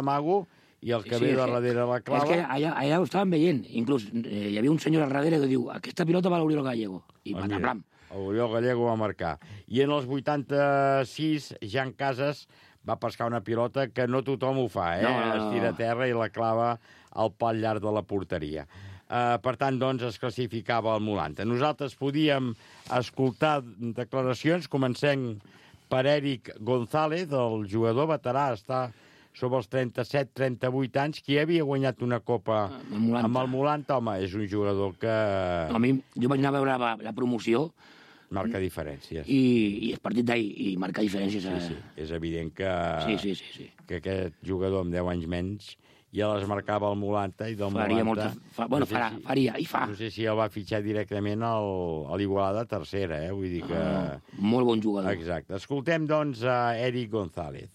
amago, i el que ve de darrere la clava... És que allà ho estàvem veient, inclús hi havia un senyor al darrere que diu aquesta pilota va a l'Oriol Gallego, i pataplam. L'Oriol Gallego va marcar. I en els 86, Jan Casas va pescar una pilota que no tothom ho fa, es tira a terra i la clava al pal llarg de la porteria. Per tant, doncs, es classificava el Mulanta. Nosaltres podíem escoltar declaracions. Comencem per Eric González, el jugador veterà, està sobre els 37-38 anys, qui havia guanyat una copa amb el Mulanta. Home, és un jugador que... A mi, jo vaig anar a veure la promoció. Marca diferències. I el partit d'ahir, i marca diferències. Sí. És evident que que aquest jugador amb 10 anys menys ja les marcava el Mulanta i del Mulanta... Faria, i fa. No sé si el va fitxar directament a l'Igualada tercera, vull dir que... Molt bon jugador. Exacte. Escoltem, doncs, a Eric González.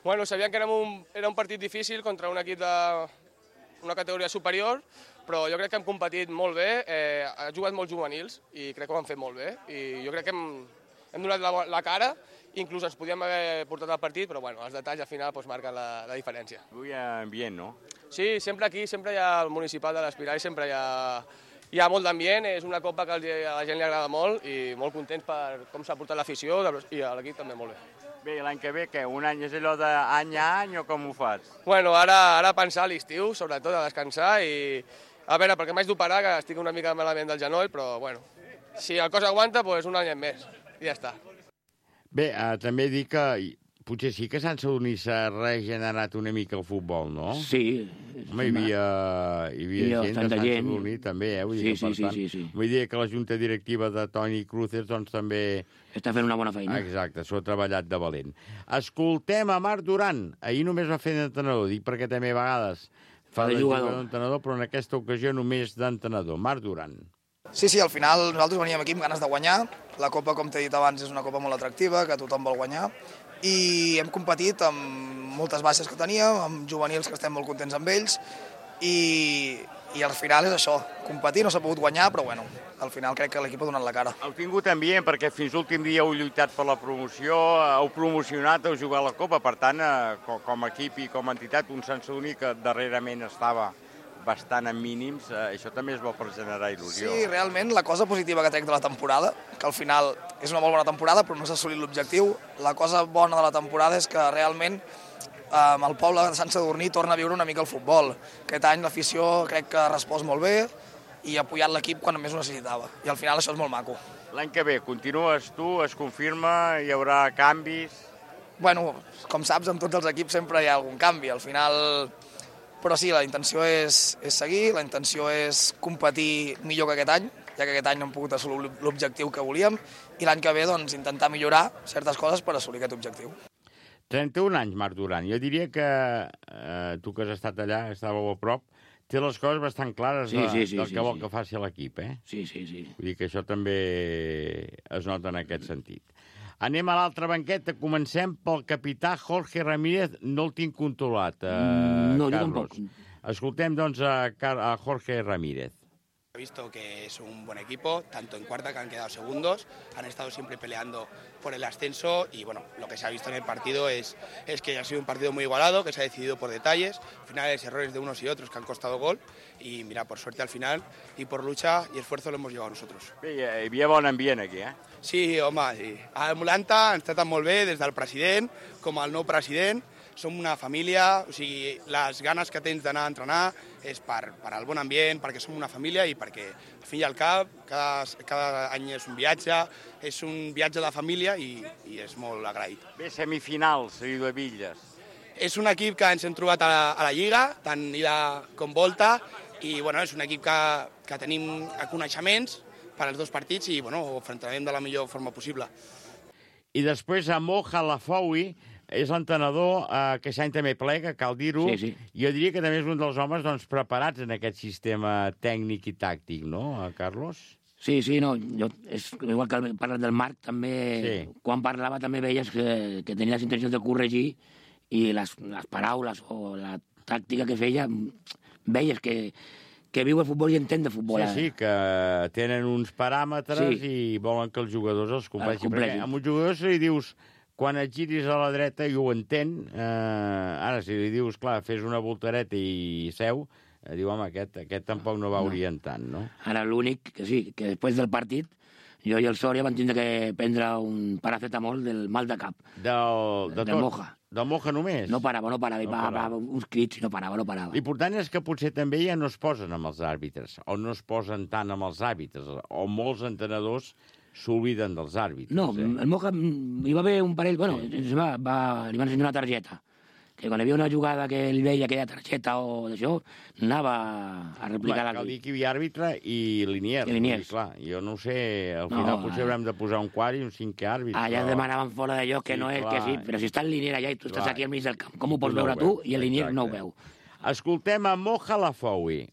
Bueno, sabíem que era un partit difícil contra un equip d'una categoria superior, però jo crec que hem competit molt bé, ha jugat molts juvenils i crec que ho han fet molt bé. I jo crec que hem donat la cara, inclús ens podíem haver portat al partit, però bueno, els detalls al final marquen la diferència. Avui hi ha ambient, no? Sí, sempre aquí, sempre hi ha el municipal de l'Espiral, sempre hi ha molt d'ambient, és una copa que a la gent li agrada molt i molt contents per com s'ha portat l'afició i a l'equip també molt bé. Bé, l'any que ve, què? Un any és allò d'any a any o com ho fas? Bueno, ara pensar a l'estiu, sobretot a descansar i... A veure, perquè m'haig d'operar, que estic una mica malament del genoll, però, bueno, si el cos aguanta, doncs un any més, i ja està. Bé, també dic que potser sí que Sant Sadurní s'ha regenerat una mica el futbol, no? Sí. Home, hi havia gent de Sant Sadurní, també, Sí. Vull dir que la junta directiva de Toni Cruces, doncs, també... Està fent una bona feina. Exacte, s'ho ha treballat de valent. Escoltem a Marc Duran. Ahir només va fer d'entrenador, dic perquè també a vegades... Fa de jugador d'entrenador, però en aquesta ocasió només d'entrenador. Marc Duran. Sí, al final nosaltres veníem aquí amb ganes de guanyar. La Copa, com t'he dit abans, és una Copa molt atractiva, que tothom vol guanyar. I hem competit amb moltes baixes que teníem, amb juvenils que estem molt contents amb ells. I al final és això, competir, no s'ha pogut guanyar, però bueno, al final crec que l'equip ha donat la cara. Heu tingut ambient, perquè fins l'últim dia heu lluitat per la promoció, heu promocionat, heu jugat la Copa, per tant, com a equip i com a entitat, un Sant Sadurní que darrerament estava bastant en mínims, això també és bo per generar il·lusió. Sí, realment, la cosa positiva que trec de la temporada, que al final és una molt bona temporada, però no s'ha assolit l'objectiu, la cosa bona de la temporada és que realment el poble de Sant Sadurní torna a viure una mica el futbol. Aquest any l'afició crec que ha respost molt bé i ha apoyat l'equip quan més ho necessitava. I al final això és molt maco. L'any que ve continues tu, es confirma, hi haurà canvis? Bueno, com saps, amb tots els equips sempre hi ha algun canvi. Al final... Però sí, la intenció és seguir, la intenció és competir millor que aquest any, ja que aquest any no hem pogut assolir l'objectiu que volíem, i l'any que ve doncs, intentar millorar certes coses per assolir aquest objectiu. 31 anys, Marc Duran. Jo diria que tu que has estat allà, estàveu a prop, té les coses bastant clares del que vol que faci l'equip, eh? Sí. Vull dir que això també es nota en aquest sentit. Anem a l'altra banqueta. Comencem pel capità Jorge Ramírez. No el tinc controlat, No, yo Carlos. tampoco. Escoltem, doncs, a Jorge Ramírez. He visto que es un buen equipo, tanto en cuarta, que han quedado segundos, han estado siempre peleando por el ascenso y bueno, lo que se ha visto en el partido es que ha sido un partido muy igualado, que se ha decidido por detalles, finales, errores de unos y otros que han costado gol y mira, por suerte al final y por lucha y esfuerzo lo hemos llevado nosotros. Bé, hi havia bon ambient aquí, eh? Sí, home, sí. A Mulanta ens tracten molt bé, des del president com al nou president. Som una família, o sigui, les ganes que tens d'anar a entrenar és per al bon ambient, perquè som una família i perquè, al fi i al cap, cada any és un viatge de família i és molt agraït. Bé, semifinals, Riudebitlles. És un equip que ens hem trobat a la Lliga, tant ida com volta, i bueno, és un equip que tenim coneixements per als dos partits i bueno, ho enfrontarem de la millor forma possible. I després a Mo Halafoui, és l'entrenador que aquest any també plega, cal dir-ho. Sí. Jo diria que també és un dels homes doncs, preparats en aquest sistema tècnic i tàctic, no, Carlos? Sí, no, igual que parles del Marc, també, quan parlava també veies que tenia les intencions de corregir i les paraules o la tàctica que feia, veies que viu el futbol i entén de futbol. Sí, que tenen uns paràmetres i volen que els jugadors els compleixin. Perquè a un jugador se li dius quan et giris a la dreta i ho entén, ara si li dius, clar, fes una voltareta i seu, diu, home, aquest tampoc no va orientant, no? Ara l'únic, que sí, que després del partit, jo i el Sòria van tindre que prendre un paracetamol del mal de cap. Del Moja. Del Moja només? No parava, uns crits i no parava. L'important és que potser també ja no es posen amb els àrbitres, o no es posen tant amb els àrbitres, o molts entrenadors s'obliden dels àrbitres. No, el Moja hi va haver un parell... Bueno, li van ensenyar una targeta, que quan hi havia una jugada que ell veia aquella targeta o d'això, anava a replicar Cal dir que hi havia àrbitre i Liniers. Clar, jo no ho sé, al final potser haurem de posar un quart i un cinquè àrbitre. Allà demanaven fora d'allò que no és, que sí, però si està el Liniers allà i tu estàs aquí al mig del camp, com ho pots veure tu i el Liniers no ho veu? Escoltem a Mo Halafoui.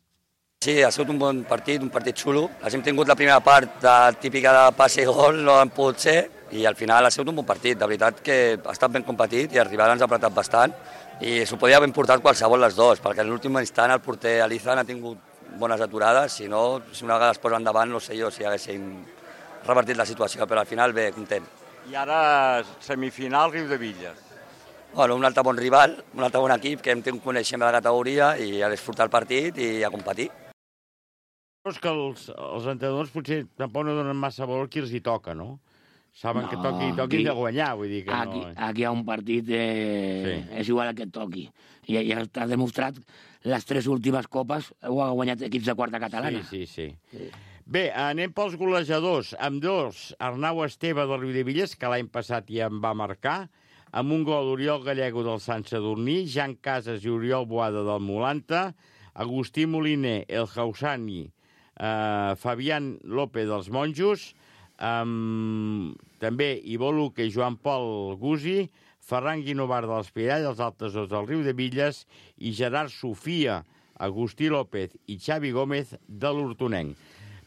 Sí, ha sigut un bon partit, un partit xulo. Hem tingut la primera part típica de passe i gol, no han pogut ser, i al final ha sigut un bon partit. De veritat que ha estat ben competit i el rival ens ha apretat bastant i s'ho podia haver portat qualsevol les dos, perquè en l'últim instant el porter Alizan ha tingut bones aturades, si no, si una vegada es posa endavant, no sé jo si haguéssim revertit la situació, però al final bé, content. I ara semifinal Riudebitlles. Bueno, un altre bon rival, un altre bon equip que hem tingut coneixement de la categoria i a disfrutar el partit i a competir. És que els entrenadors potser tampoc no donen massa valor qui els hi toca, no? Saben que toqui de guanyar, vull dir que no... Aquí hi ha un partit, és igual que et toqui. I ja està demostrat, les 3 últimes copes ho ha guanyat equips de quarta catalana. Sí. Bé, anem pels golejadors. Amb dos, Arnau Esteve del Riudebitlles, que l'any passat ja en va marcar, amb un gol Oriol Gallego del Sant Sadurní, Jan Casas i Oriol Boada del Mulanta, Agustí Moliner, El Hausani, Fabián López dels Monjos, també Ivo Luque i Joan Pol Gusi, Ferran Guinovar de l'Espirall, els altres dos del Riudebitlles, i Gerard Sofia, Agustí López i Xavi Gómez de l'Hortonenc.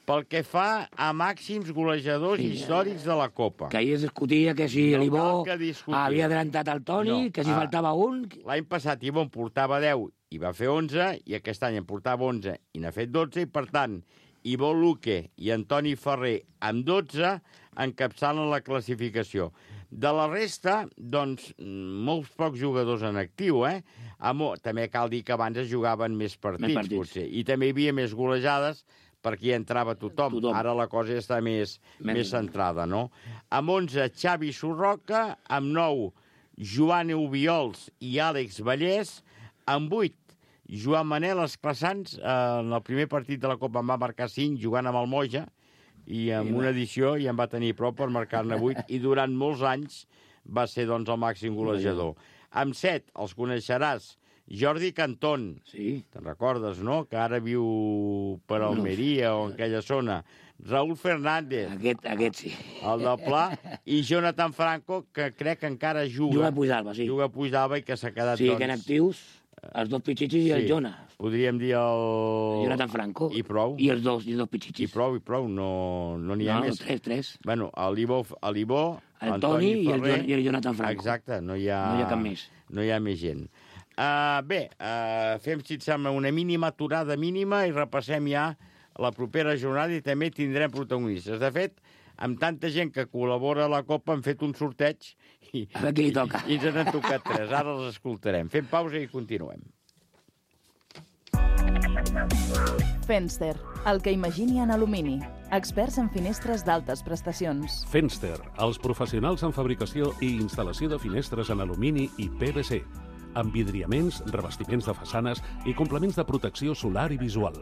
Pel que fa a màxims golejadors històrics de la Copa. Que ahir es discutia que si l'Ibó havia adelantat el Toni, que si faltava un... L'any passat Ibó en portava 10 i va fer 11, i aquest any en portava 11 i n'ha fet 12, i per tant, Ivo Luque i Antoni Ferrer amb 12 encapçalen la classificació. De la resta, doncs, molts pocs jugadors en actiu, També cal dir que abans es jugaven més partits, potser. I també hi havia més golejades perquè hi entrava tothom. Ara la cosa ja està més centrada, no? Amb 11, Xavi Surroca, amb 9, Joan Ubiols i Àlex Vallès, amb 8, Joan Manel Esclassans, en el primer partit de la Copa en va marcar 5, jugant amb el Moja, i en una edició ja en va tenir prou per marcar-ne 8, i durant molts anys va ser, doncs, el màxim golejador. Amb 7, els coneixeràs, Jordi Cantón, te'n recordes, no?, que ara viu per Almeria o en aquella zona. Raúl Fernández, aquest sí, el del Pla, i Jonathan Franco, que crec que encara juga. Juga a Puigdàlber, sí. Juga a Puigdàlber i que s'ha quedat, sí, que en actius, els dos pitxitxis i el Jona. Podríem dir el... Jonathan Franco. I prou. I els dos pitxitxis. I prou, no n'hi ha més. No, tres. Bueno, l'Ibó, el Toni i el Jonathan Franco. Exacte, no hi ha cap més. No hi ha més gent. Fem, si et sembla, una mínima aturada mínima i repassem ja la propera jornada i també tindrem protagonistes. De fet, amb tanta gent que col·labora a la Copa hem fet un sorteig i ens n'han tocat 3. Ara els escoltarem. Fem pausa i continuem. Fenster, el que imagini en alumini. Experts en finestres d'altes prestacions. Fenster, els professionals en fabricació i instal·lació de finestres en alumini i PVC, amb vidriaments, revestiments de façanes i complements de protecció solar i visual.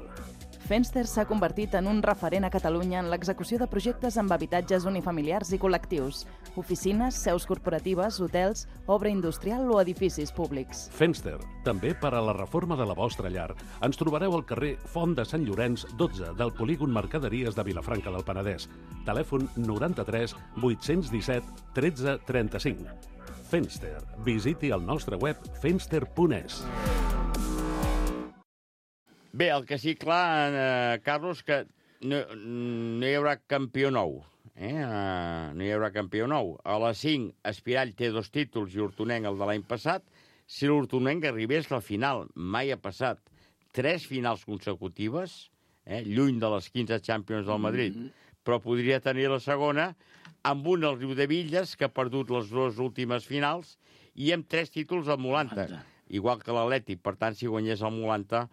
Fenster s'ha convertit en un referent a Catalunya en l'execució de projectes amb habitatges unifamiliars i col·lectius, oficines, seus corporatives, hotels, obra industrial o edificis públics. Fenster, també per a la reforma de la vostra llar. Ens trobareu al carrer Font de Sant Llorenç, 12, del polígon Mercaderies de Vilafranca del Penedès. Telèfon 93 817 13 35. Fenster. Visiti el nostre web fenster.es. Bé, el que sí, clar, Carlos, que no hi haurà campió nou. No hi haurà campió nou. A les 5, Espirall té 2 títols i Hortonenc el de l'any passat. Si l'Hortonenc arribés a la final, mai ha passat 3 finals consecutives, lluny de les 15 Champions del Madrid, però podria tenir la segona, amb un al Riudevilles, que ha perdut les 2 últimes finals, i amb 3 títols al Molanta, igual que l'Atlètic. Per tant, si guanyés el Molanta,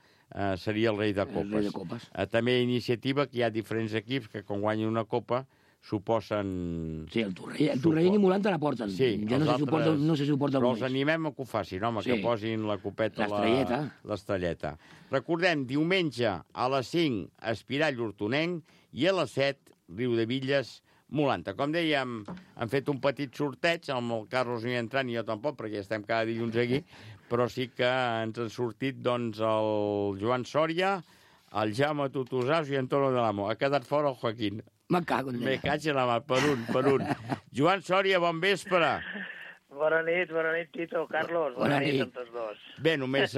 seria el rei de copes. També iniciativa que hi ha diferents equips que quan guanyen una copa suposen... Sí, el Torrellell i Molanta la porten. Sí, jo no se suporta però els animem a que ho facin, home, que posin la copeta, l'estrelleta. Recordem, diumenge a les 5, Espirall Hortonenc, i a les 7, Riudevilles Molanta. Com dèiem, hem fet un petit sorteig, amb el Carlos no hi ha entrat, ni jo tampoc, perquè estem cada dilluns aquí, però sí que ens han sortit, doncs, el Joan Sòria, el Jaume Tutusàs i Antonio de l'Amo. Ha quedat fora el Joaquín. Me cago en Me caig en la mà, per un. Joan Sòria, bon vespre. Bona nit, Tito, Carlos. Bona nit a tots dos. Bé, només...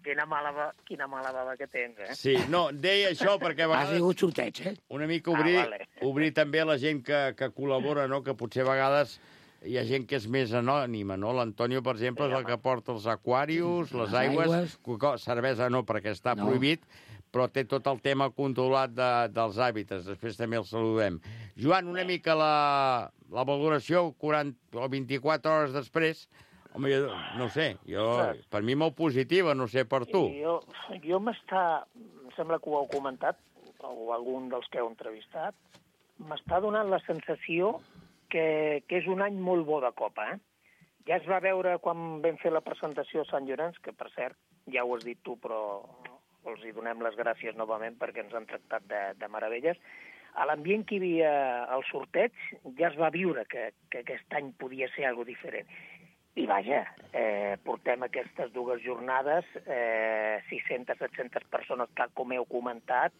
Quina mala bava que tens, Sí, no, deia això perquè a vegades... Ha sigut sorteig, Una mica obrir també la gent que col·labora, no?, que potser a vegades hi ha gent que és més anònima, no? L'Antonio, per exemple, és el que porta els aquarius, les aigües, cervesa no, perquè està prohibit, però té tot el tema controlat dels hàbitats. Després també el saludem. Joan, una mica la valoració 40 o 24 hores després, home, no sé, per mi molt positiva, no sé per tu. Jo em sembla que ho heu comentat, o algun dels que heu entrevistat, m'està donant la sensació que és un any molt bo de Copa, Ja es va veure quan vam fer la presentació a Sant Llorenç, que per cert, ja ho has dit tu, però els hi donem les gràcies novament perquè ens han tractat de meravelles. A l'ambient que hi havia al sorteig ja es va viure que aquest any podia ser alguna diferent. I vaja, portem aquestes 2 jornades, 600-700 persones, tal com heu comentat,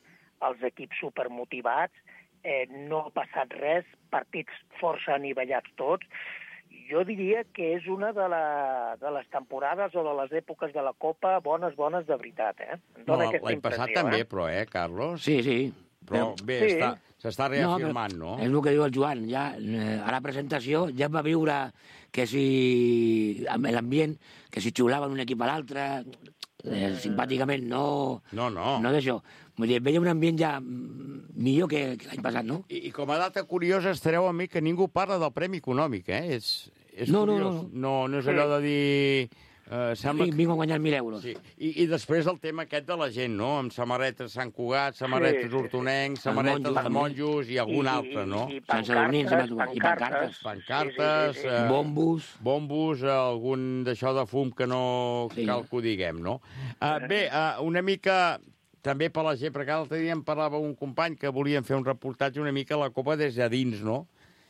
els equips supermotivats, no ha passat res, partits força anivellats tots. Jo diria que és una de les temporades o de les èpoques de la Copa bones de veritat, No, l'any passat també, però, Carlos? Sí. Però bé, s'està reafirmant, no? És el que diu el Joan. Ja, a la presentació ja va viure que si amb l'ambient, que si xiulaven un equip a l'altre, simpàticament, no d'això. Vull dir, veia un ambient ja millor que l'any passat, no? I com a data curiosa estareu amb mi que ningú parla del premi econòmic, eh? És curiós. No és allò de dir... Vinc a guanyar 1.000 euros. Sí. I després el tema aquest de la gent, no? Amb samarretes Sant Cugat, samarretes Hortonencs, samarretes de monjos i algun altre, no? I pancartes. Pancartes. Bombos, algun d'això de fum que no cal que ho diguem, no? Bé, una mica... També per la gent, perquè l'altre dia em parlava un company que volien fer un reportatge una mica a la Copa des de dins, no?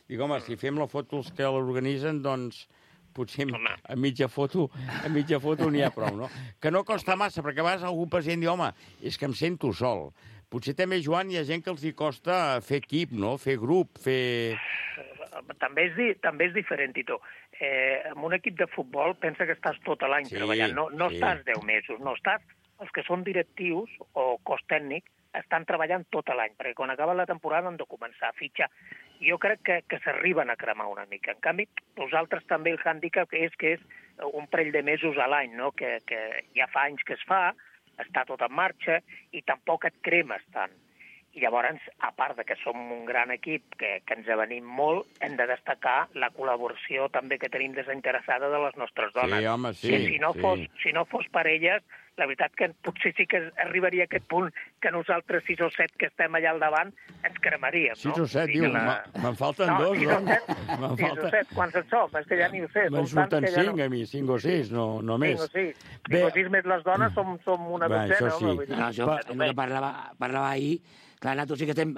Dic, home, si fem la foto els que l'organitzen, doncs potser a mitja foto n'hi ha prou, no? Que no costa massa, perquè a vegades algun pacient diu, home, és que em sento sol. Potser també, Joan, hi ha gent que els hi costa fer equip, no? Fer grup, fer... També és diferent, Tito. En un equip de futbol pensa que estàs tot l'any treballant, no estàs 10 mesos, no estàs... Els que són directius o cos tècnic estan treballant tot l'any, perquè quan acaba la temporada han de començar a fitxar. Jo crec que s'arriben a cremar una mica. En canvi, nosaltres també el hàndicap és que és un parell de mesos a l'any, no? Que ja fa anys que es fa, està tot en marxa i tampoc et cremes tant. I llavors, a part de que som un gran equip que ens avenim molt, hem de destacar la col·laboració també que tenim desinteressada de les nostres dones. Sí, home, sí. Si no fos per elles, la veritat que potser sí que arribaria a aquest punt que nosaltres 6 o 7 que estem allà al davant ens cremaríem, no? 6 o 7, diu, me'n falten dos, no? 6 o 7, quants en som? És que ja ni ho sé. Me'n surten 5 a mi, 5 o 6, no més. 5 o 6. 5 o 6 més les dones som una dotzena. Això sí. Això que parlava ahir, clar, nosaltres sí que estem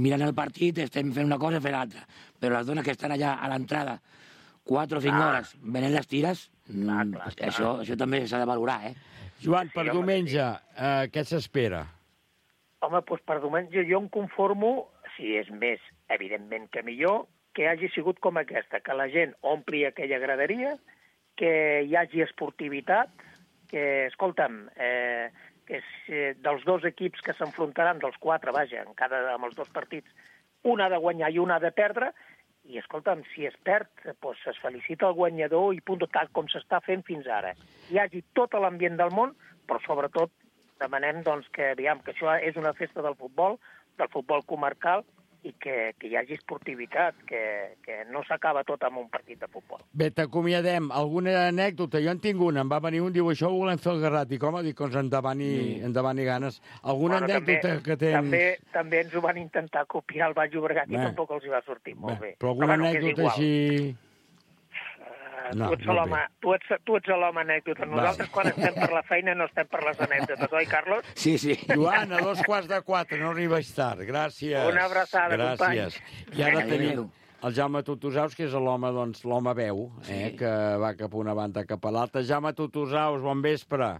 mirant el partit, estem fent una cosa i fent l'altra, però les dones que estan allà a l'entrada 4 o 5 hores venent les tires, això també s'ha de valorar, eh? Joan, per diumenge, què s'espera? Home, doncs per diumenge jo em conformo, si és més, evidentment que millor, que hagi sigut com aquesta, que la gent ompli aquella graderia, que hi hagi esportivitat, que, escolta'm, que dels dos equips que s'enfrontaran, dels 4, vaja, amb els 2 partits, un ha de guanyar i un ha de perdre, i, escolta'm, si es perd, doncs es felicita el guanyador i punt, tal com s'està fent fins ara. Hi hagi tot l'ambient del món, però sobretot demanem doncs, que això és una festa del futbol comarcal, i que hi hagi esportivitat, que no s'acaba tot amb un partit de futbol. Bé, t'acomiadem. Alguna anècdota? Jo en tinc una. Em va venir un, diu, això ho volem fer al Garrat. Dic, home, doncs endavant i ganes. Alguna anècdota que tens... També ens ho van intentar copiar al Baix Llobregat i tampoc els hi va sortir molt bé. Però alguna anècdota així... Tu ets l'home anècdota. Nosaltres, quan estem per la feina, no estem per les anècdotes, oi, Carlos? Sí. Joan, a 2:45, no arribes tard. Gràcies. Una abraçada, companys. I ara tenim el Jaume Tutusaus, que és l'home veu, que va cap a una banda, cap a l'altra. Jaume Tutusaus, bon vespre.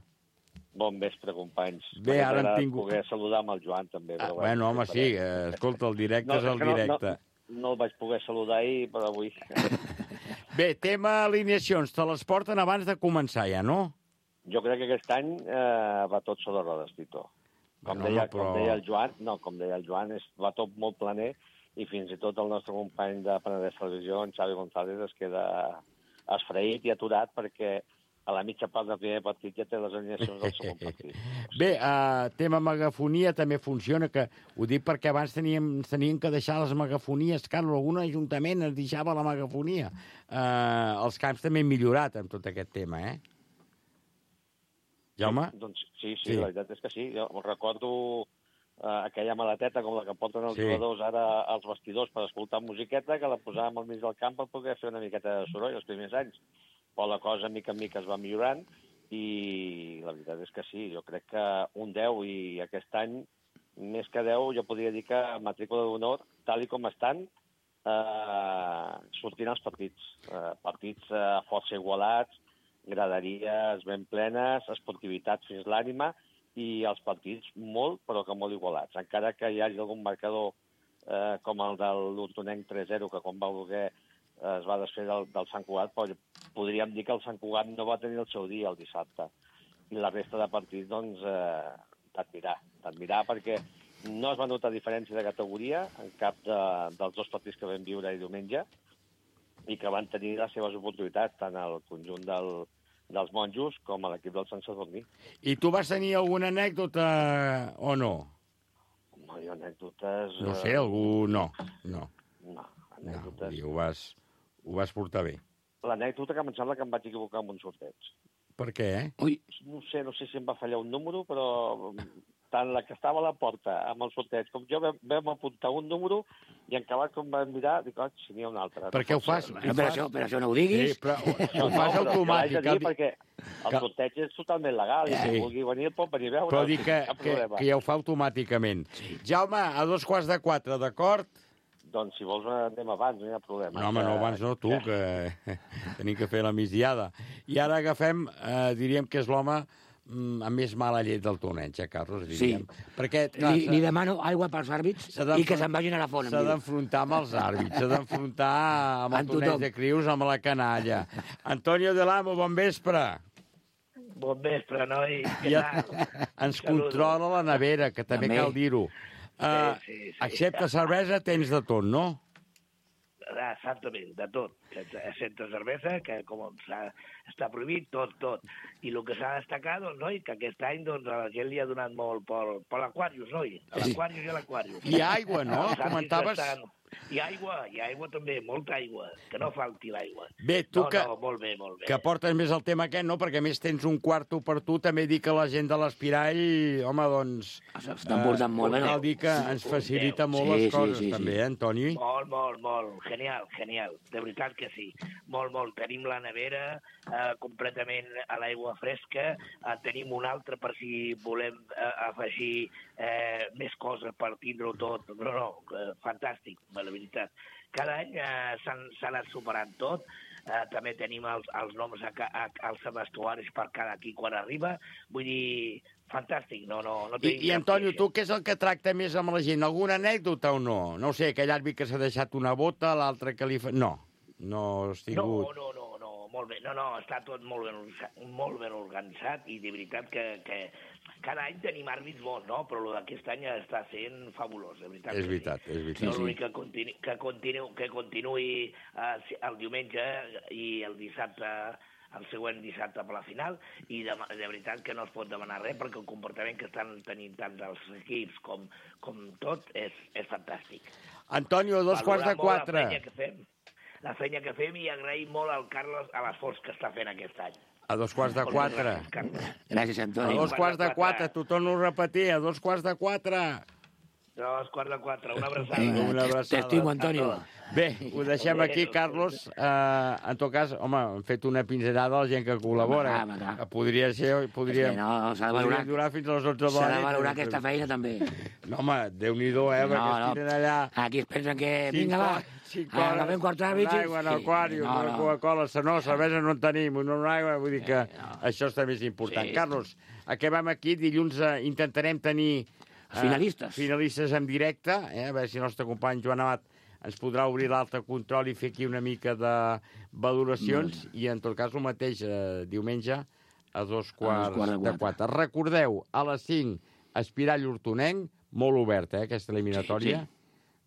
Bon vespre, companys. Bé, ara hem tingut... poder saludar amb el Joan, també. Bueno, home, sí. Escolta, el directe és el directe. No el vaig poder saludar ahir, però avui... Bé, tema alineacions, te les porten abans de començar ja, no? Jo crec que aquest any va tot sobre rodes, Tito. Com deia el Joan, va tot molt planer i fins i tot el nostre company de Penedès Televisió, en Xavi González, es queda esfraït i aturat perquè a la mitja part del primer partit ja té les alineacions del segon partit. Bé, tema megafonia també funciona, que ho dic perquè abans tenien que deixar les megafonies, Carlos, algun ajuntament es deixava la megafonia. Els camps també han millorat amb tot aquest tema, eh? Jaume? Doncs sí, la veritat és que sí. Jo recordo aquella maleteta com la que porten els jugadors ara als vestidors per escoltar musiqueta, que la posàvem al mig del camp per poder fer una miqueta de soroll els primers anys. Però la cosa, mica en mica, es va millorant i la veritat és que sí, jo crec que un 10 i aquest any, més que 10, jo podria dir que matrícula d'honor, tal i com estan, sortint els partits. Partits força igualats, graderies ben plenes, esportivitat fins l'ànima i els partits molt, però que molt igualats. Encara que hi hagi algun marcador com el de l'Hortonenc 3-0, que quan va voler es va desfer del Sant Cugat, però podríem dir que el Sant Cugat no va tenir el seu dia el dissabte. I la resta de partits, doncs, t'admirar, perquè no es va notar diferència de categoria en cap dels 2 partits que vam viure ahir diumenge i que van tenir les seves oportunitats, tant el conjunt dels monjos com a l'equip del Sant Sadurní. I tu vas tenir alguna anècdota o no? Home, jo anècdotes... No sé, algú... No, anècdotes... I ho vas portar bé. L'anècdota que em sembla que em vaig equivocar amb un sorteig. Per què, Ui. No sé si em va fallar un número, però tant la que estava a la porta amb el sorteig com jo vam apuntar un número i en acabat com vam mirar, dic, si n'hi ha un altre. Per què ho fas? Per això no ho diguis. Sí, però ho fas automàtic. Perquè el sorteig és totalment legal i si vulgui venir pot venir a veure. Però dic que ja ho fa automàticament. Jaume, a 3:45, d'acord? Doncs si vols anem abans, no hi ha problema. No, home, no abans no, tu, que tenim que fer la migdiada. I ara agafem, diríem que és l'home amb més mala llet del torneig, Carlos, diríem. Sí. Perquè, li demano aigua pels àrbits i que se'n vagin a la font. S'ha d'enfrontar amb els àrbits, s'ha d'enfrontar amb el torneig de crius, amb la canalla. Antonio de l'Amo, bon vespre. Bon vespre, noi. I ens controla la nevera, que també cal dir-ho. Sí. Excepte cervesa, tens de tot, no? Exactament, de tot. Excepte cervesa, que com està prohibit, tot. I el que s'ha de destacar, doncs, noi, que aquest any doncs, a la gent li ha donat molt per l'Aquarius, noi. A l'Aquarius i a l'Aquarius. I aigua, no? Comentaves... I aigua també, molta aigua, que no falti l'aigua. Bé, tu molt bé. Que portes més el tema aquest, no? Perquè més tens un quarto per tu, també dic que la gent de l'Espirall, home, doncs... S'estan portant molt bé. Cal dir que ens facilita molt les coses, també, Antoni? Molt. Genial. De veritat que sí. Molt. Tenim la nevera completament a l'aigua fresca, tenim un altre per si volem afegir més coses per tindre-ho tot. No, fantàstic, la veritat. Cada any s'ha anat superant tot. També tenim els noms als vestuaris per cada aquí quan arriba. Vull dir, fantàstic. No I Antonio, tu què és el que tracta més amb la gent? Alguna anècdota o no? No sé, aquell àrbit que s'ha deixat una bota, l'altre que li fa... No has tingut... No, molt bé. No, està tot molt ben organitzat i de veritat que cada any tenim àrbits bons, no? Però el d'aquest any està sent fabulós, de veritat. És veritat. No, l'únic que continuï el diumenge i el dissabte, el següent dissabte per la final, i de veritat que no es pot demanar res perquè el comportament que estan tenint tant els equips com tot és fantàstic. Antonio, 3:45. La feina que fem i agraïm molt al Carlos a l'esforç que està fent aquest any. A 3:45. Gràcies, Antoni. A 3:45, t'ho torno a repetir, a 3:45. 3:45, una abraçada. Una abraçada. T'estimo, Antonio. Bé, ho deixem aquí, Carlos. En tot cas, home, hem fet una pinzellada a la gent que col·labora. Que podria durar fins a les 11 de la nit. S'ha de valorar aquesta feina, també. No, home, Déu-n'hi-do, perquè es tiren allà... Aquí es pensen que... Vinga, va, agafem 4 àrbits... Una aigua en l'aquari, una Coca-Cola, no, cervesa no en tenim, una aigua, vull dir que això està més important. Carlos, acabem aquí, dilluns intentarem tenir... Finalistes en directe, a veure si el nostre company Joan Amat ens podrà obrir l'altre control i fer aquí una mica de valoracions, i en tot cas el mateix diumenge a 3:45. Recordeu, a les 5, Espirall Hortonenc, molt oberta, aquesta eliminatòria.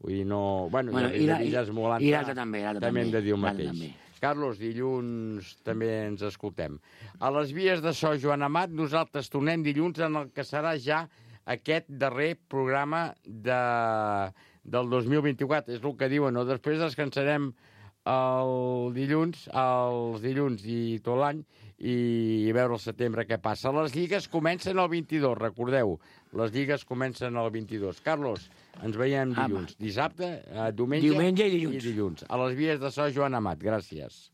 Vull dir, no... Bueno, i l'altre també. També hem de dir el mateix. Carlos, dilluns també ens escoltem. A les vies de so, Joan Amat, nosaltres tornem dilluns en el que serà ja aquest darrer programa del 2024. És el que diuen, no? Després descansarem els dilluns i tot l'any i veure el setembre què passa. Les lligues comencen el 22, recordeu. Les lligues comencen el 22. Carlos, ens veiem dilluns. Dissabte, diumenge i dilluns. A les vies de so, Joan Amat. Gràcies.